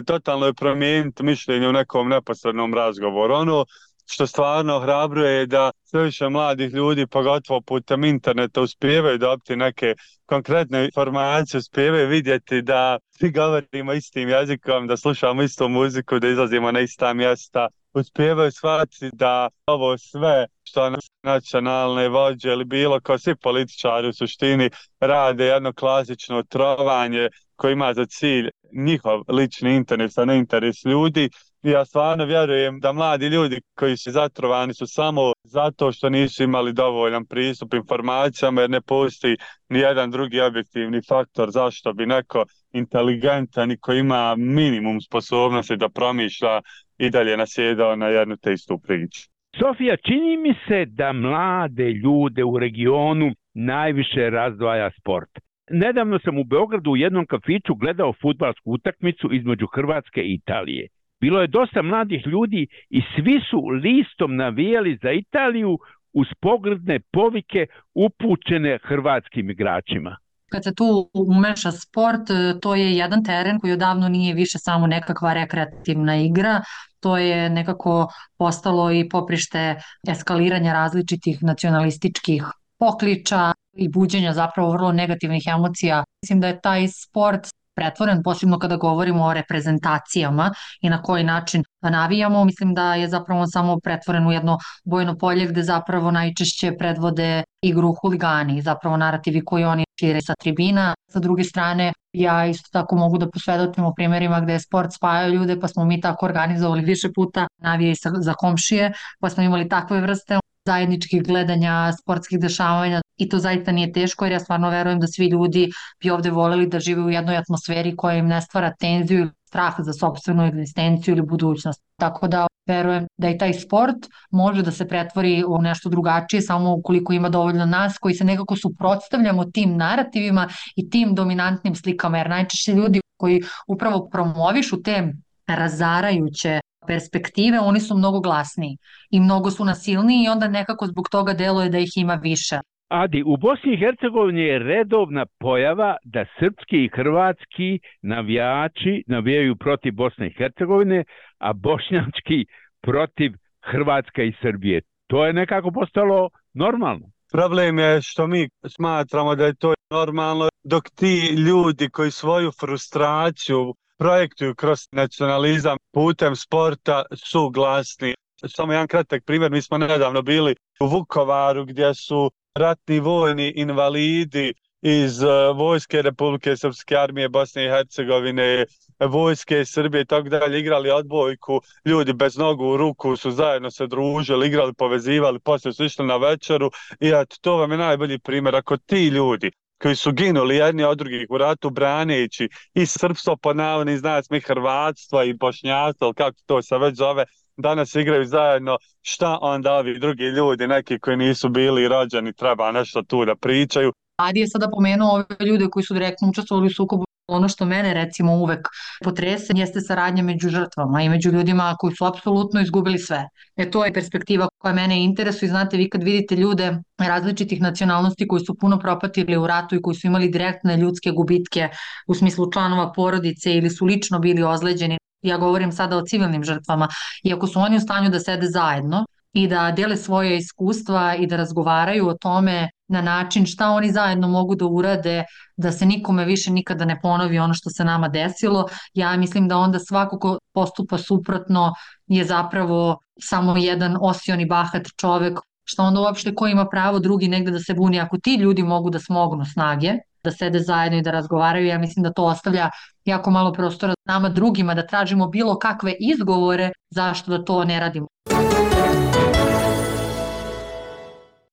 totalno je promijeniti mišljenje u nekom neposrednom razgovoru. Ono što stvarno ohrabruje je da sve više mladih ljudi, pogotovo putem interneta, uspijevaju dobiti neke konkretne informacije, uspijevaju vidjeti da svi govorimo istim jezikom, da slušamo istu muziku, da izlazimo na ista mjesta, uspijevaju shvatiti da ovo sve što nacionalne vođe ili bilo kao svi političari u suštini rade jedno klasično trovanje koje ima za cilj njihov lični interes, a ne interes ljudi. I ja stvarno vjerujem da mladi ljudi koji su zatrovani su samo zato što nisu imali dovoljan pristup informacijama, jer ne postoji ni jedan drugi objektivni faktor zašto bi neko inteligentan i koji ima minimum sposobnosti da promišlja i dalje nasjedao na jednu te istu priču. Sofija, čini mi se da mlade ljude u regionu najviše razdvaja sport. Nedavno sam u Beogradu u jednom kafiću gledao fudbalsku utakmicu između Hrvatske i Italije. Bilo je dosta mladih ljudi i svi su listom navijali za Italiju uz pogrdne povike upućene hrvatskim igračima. Kad se tu umeša sport, to je jedan teren koji odavno nije više samo nekakva rekreativna igra, to je nekako postalo i poprište eskaliranja različitih nacionalističkih pokliča i buđenja zapravo vrlo negativnih emocija. Mislim da je taj sport pretvoren, posebno kada govorimo o reprezentacijama i na koji način navijamo. Mislim da je zapravo on samo pretvoren u jedno bojno polje gde zapravo najčešće predvode igru huligani, zapravo narativi koji oni šire sa tribina. Sa druge strane, ja isto tako mogu da posvedočim o primjerima gde je sport spajao ljude, pa smo mi tako organizovali više puta navije za komšije, pa smo imali takve vrste zajedničkih gledanja, sportskih dešavanja i to zaista nije teško jer ja stvarno verujem da svi ljudi bi ovde voleli da žive u jednoj atmosferi koja im ne stvara tenziju ili strah za sopstvenu egzistenciju ili budućnost. Tako da verujem da i taj sport može da se pretvori u nešto drugačije samo ukoliko ima dovoljno nas koji se nekako suprotstavljamo tim narativima i tim dominantnim slikama, jer najčešće ljudi koji upravo promovišu te razarajuće perspektive, oni su mnogo glasniji i mnogo su nasilniji i onda nekako zbog toga deluje da ih ima više. Adi, u Bosni i Hercegovini je redovna pojava da srpski i hrvatski navijači navijaju protiv Bosne i Hercegovine, a bošnjački protiv Hrvatske i Srbije. To je nekako postalo normalno. Problem je što mi smatramo da je to normalno, dok ti ljudi koji svoju frustraciju projektuju kroz nacionalizam putem sporta su glasni. Samo jedan kratak primjer, mi smo nedavno bili u Vukovaru gdje su ratni vojni invalidi iz vojske Republike Srpske armije Bosne i Hercegovine, vojske Srbije i tako dalje igrali odbojku, ljudi bez nogu u ruku su zajedno se družili, igrali, povezivali, poslije su išli na večeru i to vam je najbolji primjer. Ako ti ljudi koji su ginuli jedni od drugih u ratu braneći i srpstvo pod navodnim znacima i hrvatstvo i bošnjaštvo, kako to se već zove, danas igraju zajedno, šta onda ovi drugi ljudi, neki koji nisu bili rođeni, treba nešto tu da pričaju. Adi je sada pomenuo ove ljude koji su direktno učestvovali u sukobu. Ono što mene recimo uvek potrese jeste saradnja među žrtvama i među ljudima koji su apsolutno izgubili sve. To je perspektiva koja mene interesuje. Znate, vi kad vidite ljude različitih nacionalnosti koji su puno propatili u ratu i koji su imali direktne ljudske gubitke u smislu članova porodice ili su lično bili ozleđeni, ja govorim sada o civilnim žrtvama, i ako su oni u stanju da sede zajedno i da dele svoje iskustva i da razgovaraju o tome na način šta oni zajedno mogu da urade da se nikome više nikada ne ponovi ono što se nama desilo, ja mislim da onda svako ko postupa suprotno je zapravo samo jedan osioni bahat čovek, što onda uopšte ko ima pravo drugi negde da se buni. Ako ti ljudi mogu da smognu snage, da sede zajedno i da razgovaraju, ja mislim da to ostavlja jako malo prostora nama drugima da tražimo bilo kakve izgovore zašto da to ne radimo.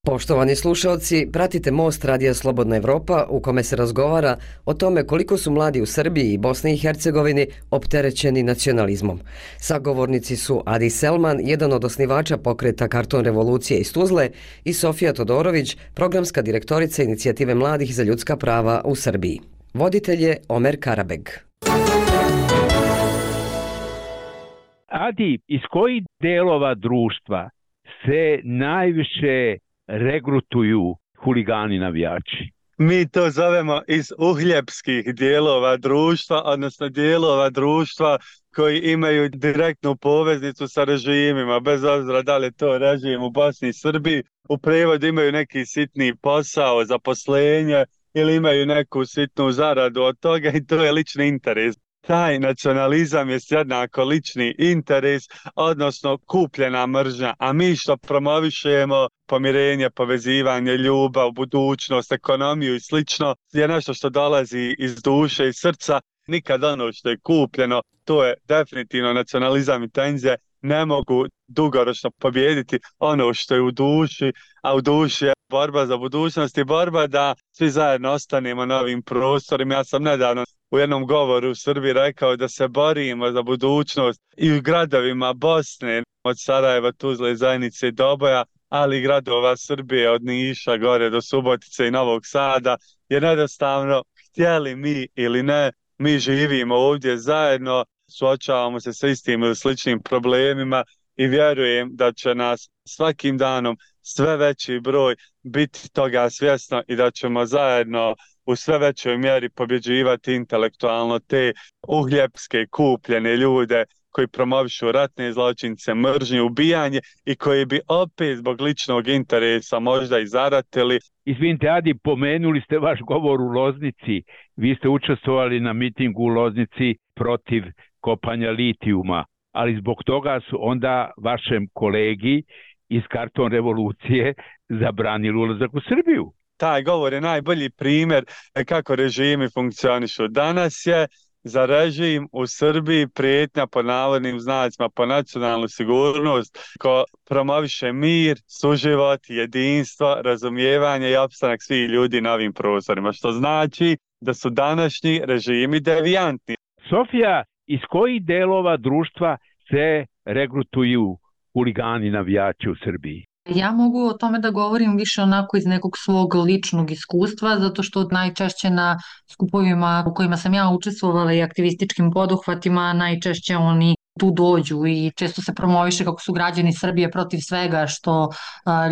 Poštovani slušalci, pratite Most Radija Slobodna Evropa u kome se razgovara o tome koliko su mladi u Srbiji i Bosni i Hercegovini opterećeni nacionalizmom. Sagovornici su Adi Selman, jedan od osnivača pokreta Karton revolucije iz Tuzle, i Sofija Todorović, programska direktorica Inicijative mladih za ljudska prava u Srbiji. Voditelj je Omer Karabeg. Adi, iz kojih delova društva se najviše regrutuju huligani navijači? Mi to zovemo iz uhljebskih dijelova društva, odnosno dijelova društva koji imaju direktnu poveznicu sa režimima, bez obzira da li je to režim u Bosni i Srbiji, u prevodu imaju neki sitni posao, zaposlenje ili imaju neku sitnu zaradu od toga i to je lični interes. Taj nacionalizam je jednako lični interes, odnosno kupljena mržnja, a mi što promovišemo pomirenje, povezivanje, ljubav, budućnost, ekonomiju i slično, je nešto što dolazi iz duše i srca. Nikad ono što je kupljeno, to je definitivno nacionalizam i tenzije, ne mogu dugoročno pobijediti ono što je u duši, a u duši je borba za budućnost i borba da svi zajedno ostanemo na ovim prostorima. Ja sam nedavno u jednom govoru u Srbiji rekao da se borimo za budućnost i u gradovima Bosne, od Sarajeva, Tuzle, Zajnice i Doboja, ali i gradova Srbije od Niša gore do Subotice i Novog Sada, jer jednostavno, htjeli mi ili ne, mi živimo ovdje zajedno, suočavamo se sa istim ili sličnim problemima i vjerujem da će nas svakim danom sve veći broj biti toga svjesno i da ćemo zajedno u sve većoj mjeri pobjeđivati intelektualno te uhljebske kupljene ljude koji promovišu ratne zločince, mržnju, ubijanje i koji bi opet zbog ličnog interesa možda i zaratili. Izvinite, Adi, pomenuli ste vaš govor u Loznici. Vi ste učestvovali na mitingu u Loznici protiv kopanja litijuma, ali zbog toga su onda vašem kolegi iz Karton revolucije zabranili ulazak u Srbiju. Taj govor je najbolji primjer kako režimi funkcionišu. Danas je za režim u Srbiji prijetnja po navodnim znacima po nacionalnu sigurnost, ko promoviše mir, suživot, jedinstvo, razumijevanje i opstanak svih ljudi na ovim prostorima, što znači da su današnji režimi devijantni. Sofija, iz kojih delova društva se regrutuju huligani navijači u Srbiji? Ja mogu o tome da govorim više onako iz nekog svog ličnog iskustva, zato što najčešće na skupovima u kojima sam ja učestvovala i aktivističkim poduhvatima, najčešće oni tu dođu i često se promoviše kako su građani Srbije protiv svega što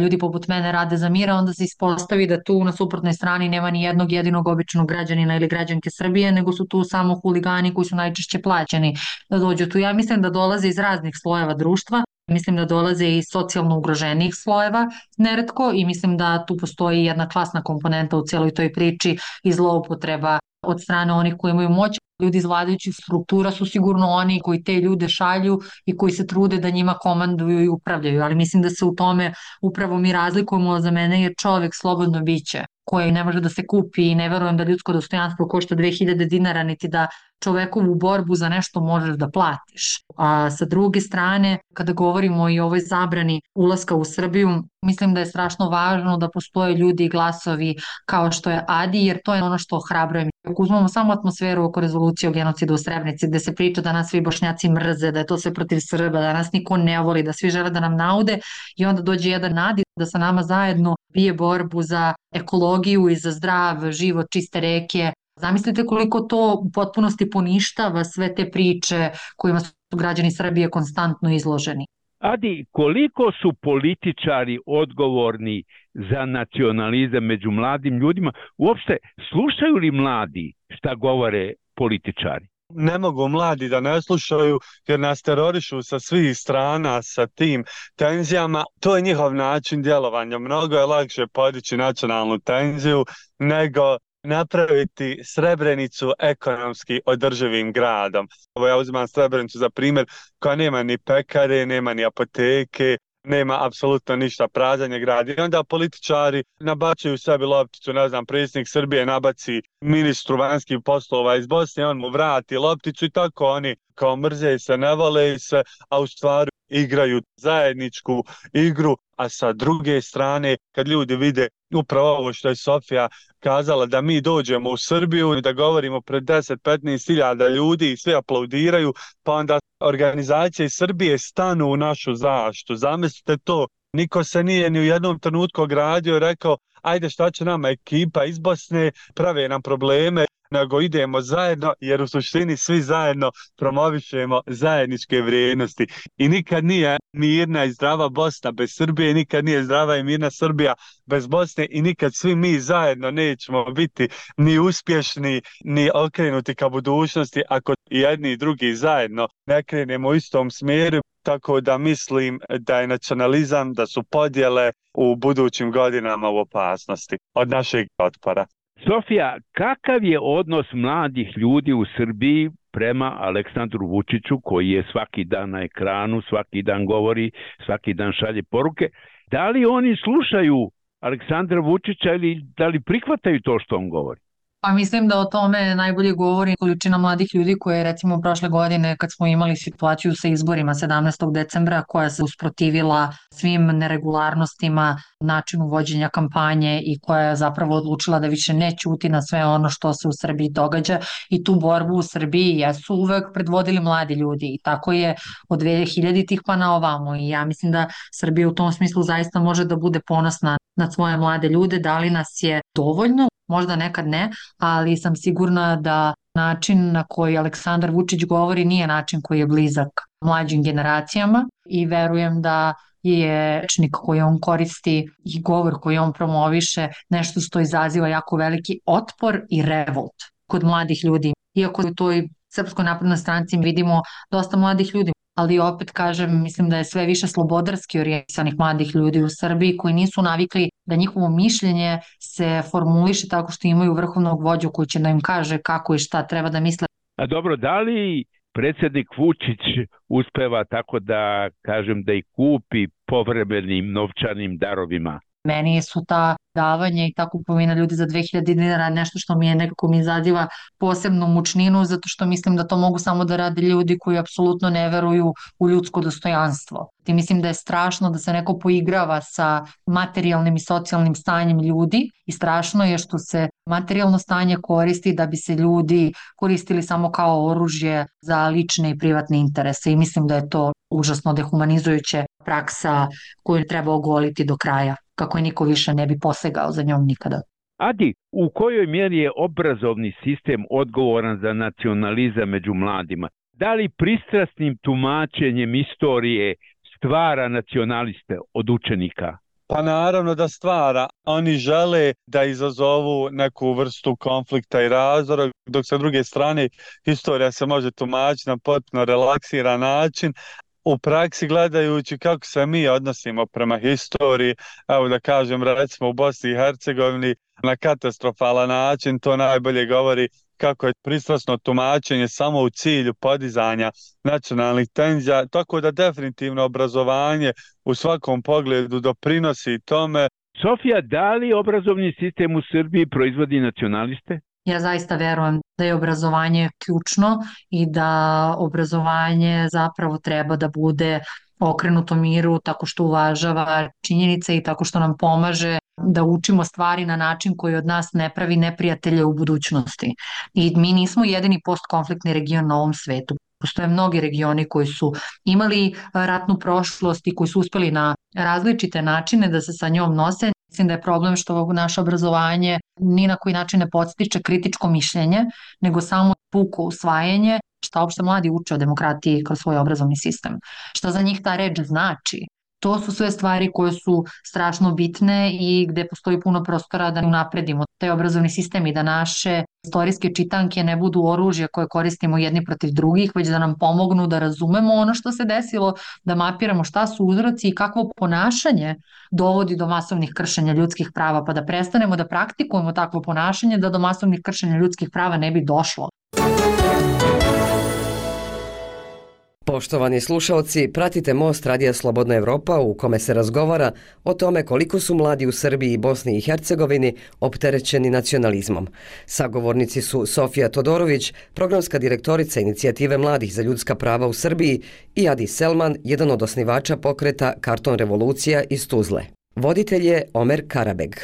ljudi poput mene rade za mira, onda se ispostavi da tu na suprotnoj strani nema ni jednog jedinog običnog građanina ili građanke Srbije, nego su tu samo huligani koji su najčešće plaćeni da dođu tu. Ja mislim da dolaze iz raznih slojeva društva. Mislim da dolaze iz socijalno ugroženijih slojeva neretko i mislim da tu postoji jedna klasna komponenta u cijeloj toj priči i zloupotreba od strane onih koji imaju moć. Ljudi iz vladajućih struktura su sigurno oni koji te ljude šalju i koji se trude da njima komanduju i upravljaju, ali mislim da se u tome upravo mi razlikujemo. Za mene je čovjek slobodno biće koje ne može da se kupi i ne verujem da ljudsko dostojanstvo košta 2000 dinara, niti da čovekovu borbu za nešto možeš da platiš. A sa druge strane, kada govorimo i o ovoj zabrani ulaska u Srbiju, mislim da je strašno važno da postoje ljudi i glasovi kao što je Adi, jer to je ono što ohrabruje. Ako uzmemo samo atmosferu oko rezolucije o genocidu u Srebrenici, gde se priča da nas svi Bošnjaci mrze, da je to sve protiv Srba, da nas niko ne voli, da svi žele da nam naude, i onda dođe jedan Adi da sa nama zajedno bije borbu za ekologiju i za zdrav život, čiste reke. Zamislite koliko to u potpunosti poništava sve te priče kojima su građani Srbije konstantno izloženi. Adi, koliko su političari odgovorni za nacionalizam među mladim ljudima? Uopšte, slušaju li mladi šta govore političari? Ne mogu mladi da ne slušaju jer nas terorišu sa svih strana sa tim tenzijama. To je njihov način djelovanja. Mnogo je lakše podići nacionalnu tenziju nego napraviti Srebrenicu ekonomski održivim gradom. Ja uzimam Srebrenicu za primjer koja nema ni pekare, nema ni apoteke, nema apsolutno ništa, prazan je grad. I onda političari nabacuju sebi lopticu, ne znam, predsjednik Srbije nabaci ministru vanjskih poslova iz Bosne, on mu vrati lopticu i tako oni kao mrze se, ne vole se, a u stvari igraju zajedničku igru, a sa druge strane kad ljudi vide upravo ovo što je Sofija kazala, da mi dođemo u Srbiju, da govorimo pred 10-15 hiljada ljudi i svi aplaudiraju, pa onda organizacije iz Srbije stanu u našu zaštitu. Zamislite to, niko se nije ni u jednom trenutku ogradio i rekao ajde šta će nama ekipa iz Bosne, prave nam probleme, nego idemo zajedno, jer u suštini svi zajedno promovišemo zajedničke vrijednosti. I nikad nije mirna i zdrava Bosna bez Srbije, nikad nije zdrava i mirna Srbija bez Bosne i nikad svi mi zajedno nećemo biti ni uspješni, ni okrenuti ka budućnosti ako i jedni i drugi zajedno ne krenemo u istom smjeru. Tako da mislim da je nacionalizam, da su podjele u budućim godinama u opasnosti od našeg otpora. Sofija, kakav je odnos mladih ljudi u Srbiji prema Aleksandru Vučiću, koji je svaki dan na ekranu, svaki dan govori, svaki dan šalje poruke? Da li oni slušaju Aleksandra Vučića ili da li prihvataju to što on govori? Pa mislim da o tome najbolje govori količina mladih ljudi koje recimo prošle godine kad smo imali situaciju sa izborima 17. decembra koja se usprotivila svim neregularnostima, načinu vođenja kampanje i koja je zapravo odlučila da više ne ćuti na sve ono što se u Srbiji događa i tu borbu u Srbiji jesu uvek predvodili mladi ljudi i tako je od 2000-ih pa na ovamo i ja mislim da Srbija u tom smislu zaista može da bude ponosna na svoje mlade ljude, da li nas je dovoljno, možda nekad ne, ali sam sigurna da način na koji Aleksandar Vučić govori nije način koji je blizak mlađim generacijama i verujem da je rečnik koji on koristi i govor koji on promoviše nešto što izaziva jako veliki otpor i revolt kod mladih ljudi. Iako u toj Srpskoj naprednoj stranci vidimo dosta mladih ljudi, ali opet kažem, mislim da je sve više slobodarski orijentisanih mladih ljudi u Srbiji koji nisu navikli da njihovo mišljenje se formuliše tako što imaju vrhovnog vođu koji će da im kaže kako i šta treba da misle. A dobro, da li predsjednik Vučić uspeva tako da kažem da ih kupi povremenim novčanim darovima? Meni su ta davanja i ta kupovina ljudi za 2000 dinara nešto što mi je nekako mi izaziva posebnu mučninu zato što mislim da to mogu samo da rade ljudi koji apsolutno ne veruju u ljudsko dostojanstvo. I mislim da je strašno da se neko poigrava sa materijalnim i socijalnim stanjem ljudi i strašno je što se materijalno stanje koristi da bi se ljudi koristili samo kao oružje za lične i privatne interese i mislim da je to užasno dehumanizujuća praksa koju treba ogoliti do kraja, kako je niko više ne bi posegao za njom nikada. Adi, u kojoj mjeri je obrazovni sistem odgovoran za nacionalizam među mladima? Da li pristrasnim tumačenjem istorije stvara nacionaliste od učenika? Pa naravno da stvara. Oni žele da izazovu neku vrstu konflikta i razdora, dok sa druge strane historija se može tumačiti na potpuno relaksiran način. U praksi gledajući kako se mi odnosimo prema historiji, evo da kažem recimo u Bosni i Hercegovini na katastrofalan način, to najbolje govori kako je pristrasno tumačenje samo u cilju podizanja nacionalnih tenzija, tako da definitivno obrazovanje u svakom pogledu doprinosi tome. Sofija, da li obrazovni sistem u Srbiji proizvodi nacionaliste? Ja zaista verujem da je obrazovanje ključno i da obrazovanje zapravo treba da bude okrenuto miru tako što uvažava činjenice i tako što nam pomaže da učimo stvari na način koji od nas ne pravi neprijatelje u budućnosti. I mi nismo jedini postkonfliktni region na ovom svetu. Postoje mnogi regioni koji su imali ratnu prošlost i koji su uspeli na različite načine da se sa njom nose. Mislim da je problem što naše obrazovanje ni na koji način ne podstiče kritičko mišljenje, nego samo puko usvajanje šta uopšte mladi uče o demokratiji kroz svoj obrazovni sistem. Šta za njih ta reč znači? To su sve stvari koje su strašno bitne i gde postoji puno prostora da unapredimo taj obrazovni sistem i da naše istorijske čitanke ne budu oružje koje koristimo jedni protiv drugih, već da nam pomognu da razumemo ono što se desilo, da mapiramo šta su uzroci i kakvo ponašanje dovodi do masovnih kršenja ljudskih prava, pa da prestanemo da praktikujemo takvo ponašanje da do masovnih kršenja ljudskih prava ne bi došlo. Poštovani slušalci, pratite Most Radija Slobodna Evropa u kome se razgovara o tome koliko su mladi u Srbiji i Bosni i Hercegovini opterećeni nacionalizmom. Sagovornici su Sofija Todorović, programska direktorica Inicijative mladih za ljudska prava u Srbiji, i Adi Selman, jedan od osnivača pokreta Karton revolucija iz Tuzle. Voditelj je Omer Karabeg.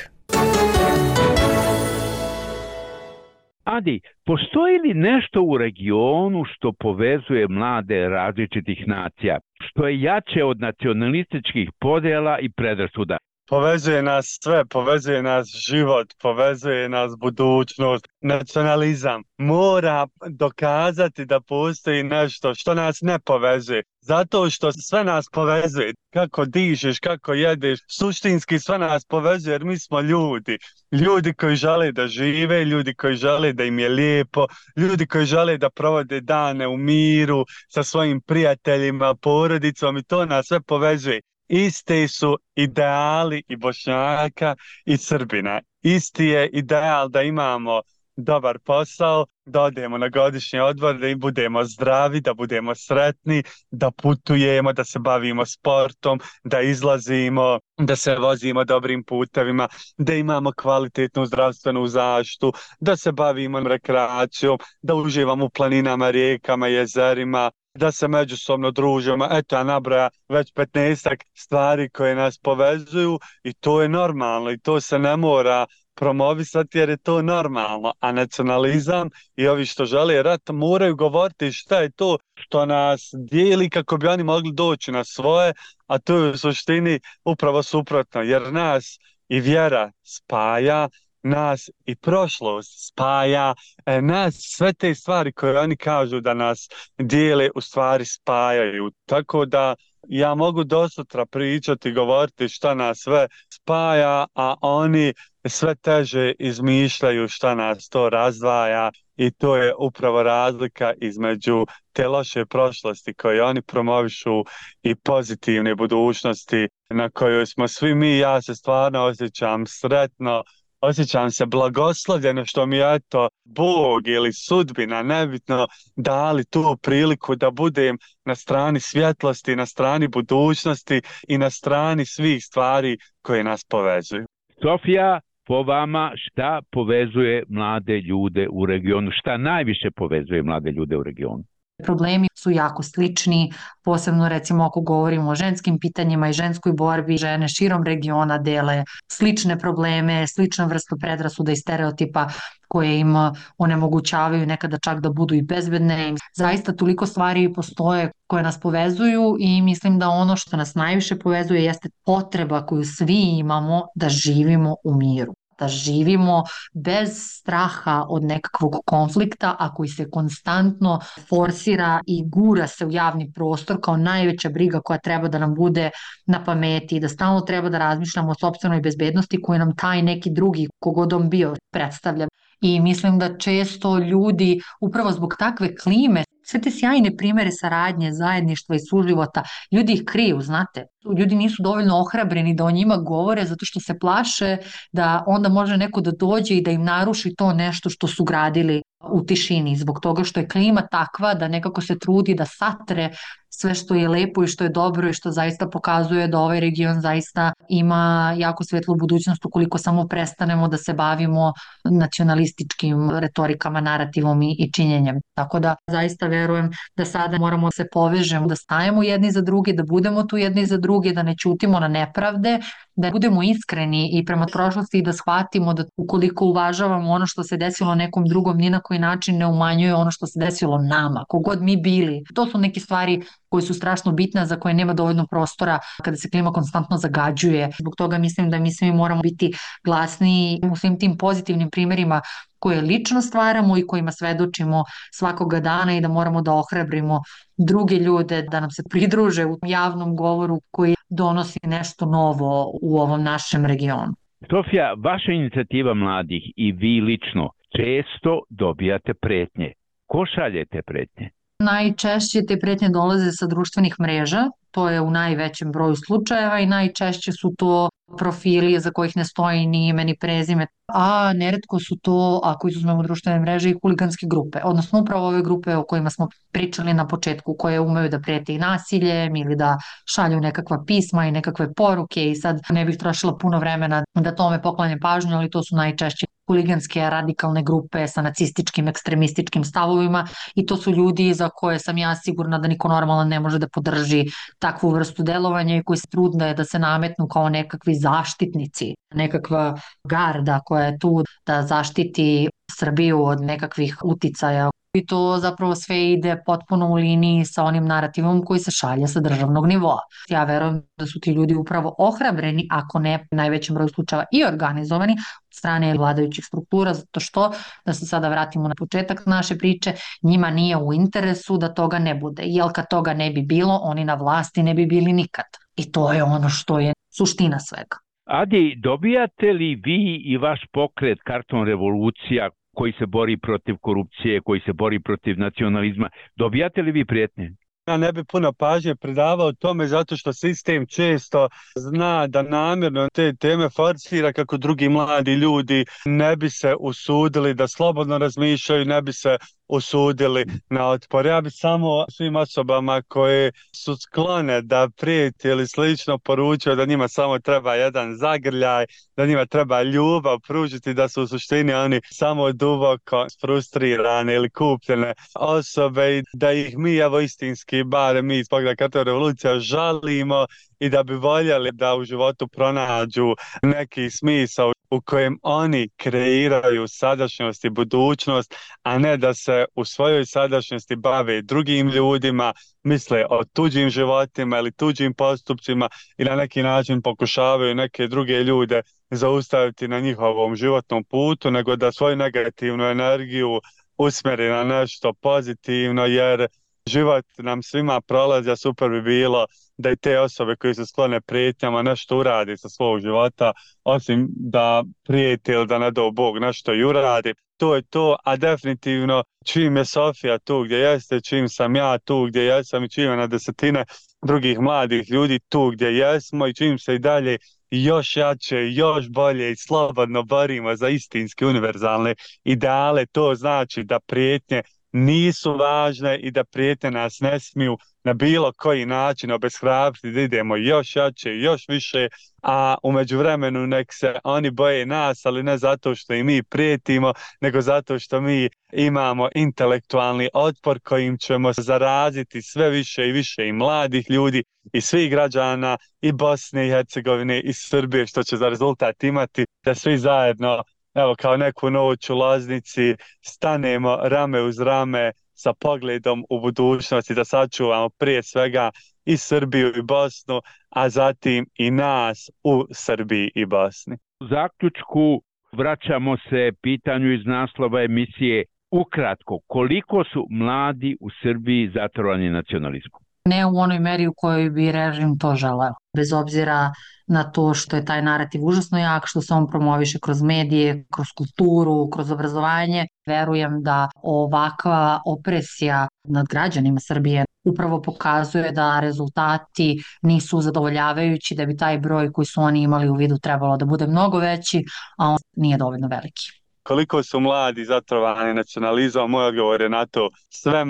Adi, postoji li nešto u regionu što povezuje mlade različitih nacija, što je jače od nacionalističkih podjela i predrasuda? Povezuje nas sve, povezuje nas život, povezuje nas budućnost. Nacionalizam mora dokazati da postoji nešto što nas ne povezuje. Zato što sve nas povezuje. Kako dižeš, kako jedeš, suštinski sve nas povezuje jer mi smo ljudi. Ljudi koji žele da žive, ljudi koji žele da im je lijepo, ljudi koji žele da provode dane u miru sa svojim prijateljima, porodicom, i to nas sve povezuje. Isti su ideali i Bošnjaka i Srbina. Isti je ideal da imamo dobar posao, da odemo na godišnji odmor, da budemo zdravi, da budemo sretni, da putujemo, da se bavimo sportom, da izlazimo, da se vozimo dobrim putevima, da imamo kvalitetnu zdravstvenu zaštitu, da se bavimo rekreacijom, da uživamo u planinama, rijekama, jezerima, da se međusobno družimo. Eto, ja nabraja već 15 stvari koje nas povezuju i to je normalno i to se ne mora promovisati jer je to normalno. A nacionalizam i ovi što žele rat moraju govoriti šta je to što nas dijeli kako bi oni mogli doći na svoje, a to je u suštini upravo suprotno, jer nas i vjera spaja, nas i prošlost spaja, nas sve te stvari koje oni kažu da nas dijele u stvari spajaju. Tako da ja mogu do sutra pričati, govoriti šta nas sve spaja, a oni sve teže izmišljaju šta nas to razdvaja i to je upravo razlika između te loše prošlosti koje oni promovišu i pozitivne budućnosti na kojoj smo svi mi. Ja se stvarno osjećam sretno, osjećam se blagoslovljeno što mi je eto Bog ili sudbina, nebitno, dali tu priliku da budem na strani svjetlosti, na strani budućnosti i na strani svih stvari koje nas povezuju. Sofija, po vama šta povezuje mlade ljude u regionu? Šta najviše povezuje mlade ljude u regionu? Problemi su jako slični, posebno recimo ako govorimo o ženskim pitanjima i ženskoj borbi, žene širom regiona dele slične probleme, sličnu vrstu predrasuda i stereotipa koje im onemogućavaju nekada čak da budu i bezbedne. Zaista toliko stvari postoje koje nas povezuju i mislim da ono što nas najviše povezuje jeste potreba koju svi imamo da živimo u miru, da živimo bez straha od nekakvog konflikta, a koji se konstantno forsira i gura se u javni prostor kao najveća briga koja treba da nam bude na pameti, da stalno treba da razmišljamo o sopstvenoj bezbednosti koju nam taj neki drugi, kogod on bio, predstavlja. I mislim da često ljudi upravo zbog takve klime, sve te sjajne primere saradnje, zajedništva i suživota, ljudi ih kriju, znate. Ljudi nisu dovoljno ohrabreni da o njima govore zato što se plaše da onda može neko da dođe i da im naruši to nešto što su gradili u tišini, zbog toga što je klima takva da nekako se trudi da satre sve što je lepo i što je dobro i što zaista pokazuje da ovaj region zaista ima jako svetlu budućnost ukoliko samo prestanemo da se bavimo nacionalističkim retorikama, narativom i činjenjem. Tako da zaista verujem da sada moramo da se povežemo, da stajemo jedni za druge, da budemo tu jedni za druge, da ne ćutimo na nepravde, da budemo iskreni i prema prošlosti i da shvatimo da ukoliko uvažavamo ono što se desilo nekom drugom, ni na koji način ne umanjuje ono što se desilo nama, kogod mi bili. To su neke stvari koje su strašno bitne, za koje nema dovoljno prostora kada se klima konstantno zagađuje. Zbog toga mislim da mi svi moramo biti glasni u svim tim pozitivnim primjerima koje lično stvaramo i kojima svedočimo svakoga dana i da moramo da ohrabrimo druge ljude da nam se pridruže u javnom govoru koji donosi nešto novo u ovom našem regionu. Sofija, vaša inicijativa mladih i vi lično često dobijate pretnje. Ko šalje te pretnje? Najčešće te pretnje dolaze sa društvenih mreža, To je u najvećem broju slučajeva i najčešće su to profili za kojih ne stoji ni ime ni prezime, a neretko su to, ako izuzmemo društvene mreže, i huliganske grupe, odnosno upravo ove grupe o kojima smo pričali na početku, koje umeju da prete i nasiljem ili da šalju nekakva pisma i nekakve poruke, i sad ne bih trošila puno vremena da tome poklanjem pažnju, ali to su najčešće huliganske radikalne grupe sa nacističkim, ekstremističkim stavovima, i to su ljudi za koje sam ja sigurna da niko normalan ne može da podrži takvu vrstu delovanja i koji se trude da se nametnu kao nekakvi zaštitnici, nekakva garda koja je tu da zaštiti Srbiju od nekakvih uticaja. I to zapravo sve ide potpuno u liniji sa onim narativom koji se šalje sa državnog nivoa. Ja verujem da su ti ljudi upravo ohrabreni, ako ne najvećem broju slučajeva i organizovani od strane vladajućih struktura, zato što, da se sada vratimo na početak naše priče, njima nije u interesu da toga ne bude. Jer kad toga ne bi bilo, oni na vlasti ne bi bili nikad. I to je ono što je suština svega. Adi, dobijate li vi i vaš pokret Karton revolucija koji se bori protiv korupcije, koji se bori protiv nacionalizma, dobijate li vi prijetnje? Ja ne bi puno pažnje pridavao tome zato što sistem često zna da namjerno te teme forsira kako drugi mladi ljudi ne bi se usudili da slobodno razmišljaju, ne bi se usudili na otpor. Ja bi samo svim osobama koje su sklone da prijeti ili slično poručio da njima samo treba jedan zagrljaj, da njima treba ljubav pružiti, da su u suštini oni samo duboko frustrirane ili kupljene osobe i da ih mi, evo istinski, barem mi iz Pokreta Karton revolucija, žalimo i da bi voljeli da u životu pronađu neki smisao u kojem oni kreiraju sadašnjost i budućnost, a ne da se u svojoj sadašnjosti bave drugim ljudima, misle o tuđim životima ili tuđim postupcima i na neki način pokušavaju neke druge ljude zaustaviti na njihovom životnom putu, nego da svoju negativnu energiju usmjeri na nešto pozitivno, jer život nam svima prolazi, a super bi bilo da i te osobe koji su sklone prijetnjama nešto uradi sa svog života, osim da prijeti ili da ne dao Bog nešto i uradi. To je to, a definitivno čim je Sofija tu gdje jeste, čim sam ja tu gdje jesam i čim je na desetine drugih mladih ljudi tu gdje jesmo i čim se i dalje još jače, još bolje i slobodno borimo za istinski univerzalne ideale, to znači da prijetnje nisu važne i da prijetnje nas ne smiju na bilo koji način obeshrabriti da idemo još jače, još više, a u međuvremenu nek se oni boje nas, ali ne zato što i mi prijetimo, nego zato što mi imamo intelektualni otpor kojim ćemo zaraziti sve više i više i mladih ljudi i svih građana i Bosne i Hercegovine i Srbije, što će za rezultat imati da svi zajedno, evo kao neku noć u Loznici, stanemo rame uz rame sa pogledom u budućnosti, da sačuvamo prije svega i Srbiju i Bosnu, a zatim i nas u Srbiji i Bosni. U zaključku vraćamo se pitanju iz naslova emisije. Ukratko, koliko su mladi u Srbiji zatrovani nacionalizmom? Ne u onoj meri u kojoj bi režim to želeo. Bez obzira na to što je taj narativ užasno jak, što se on promoviše kroz medije, kroz kulturu, kroz obrazovanje, verujem da ovakva opresija nad građanima Srbije upravo pokazuje da rezultati nisu zadovoljavajući, da bi taj broj koji su oni imali u vidu trebalo da bude mnogo veći, a on nije dovoljno veliki. Koliko su mladi zatrovani nacionalizmom, moj odgovor je na to sve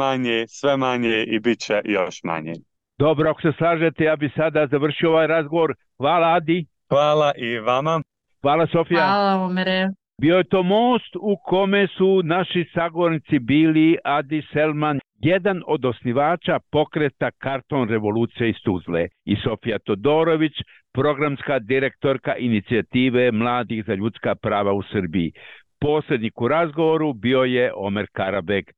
manje i bit će još manje. Dobro, ako se slažete, ja bi sada završio ovaj razgovor. Hvala, Adi. Hvala i vama. Hvala, Sofija. Hvala, Omere. Bio je to most u kome su naši sagovornici bili Adi Selman, jedan od osnivača pokreta Karton revolucija iz Tuzle, i Sofija Todorović, programska direktorka inicijative Mladih za ljudska prava u Srbiji. Posrednik u razgovoru bio je Omer Karabek.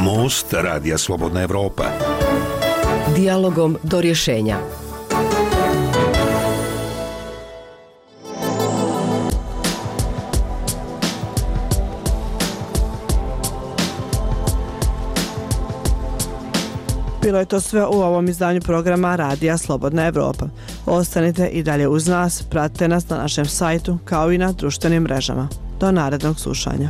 Most Radija Slobodna Evropa. Dijalogom do rješenja. Bilo je to sve u ovom izdanju programa Radija Slobodna Evropa. Ostanite i dalje uz nas, pratite nas na našem sajtu kao i na društvenim mrežama. Do narednog slušanja.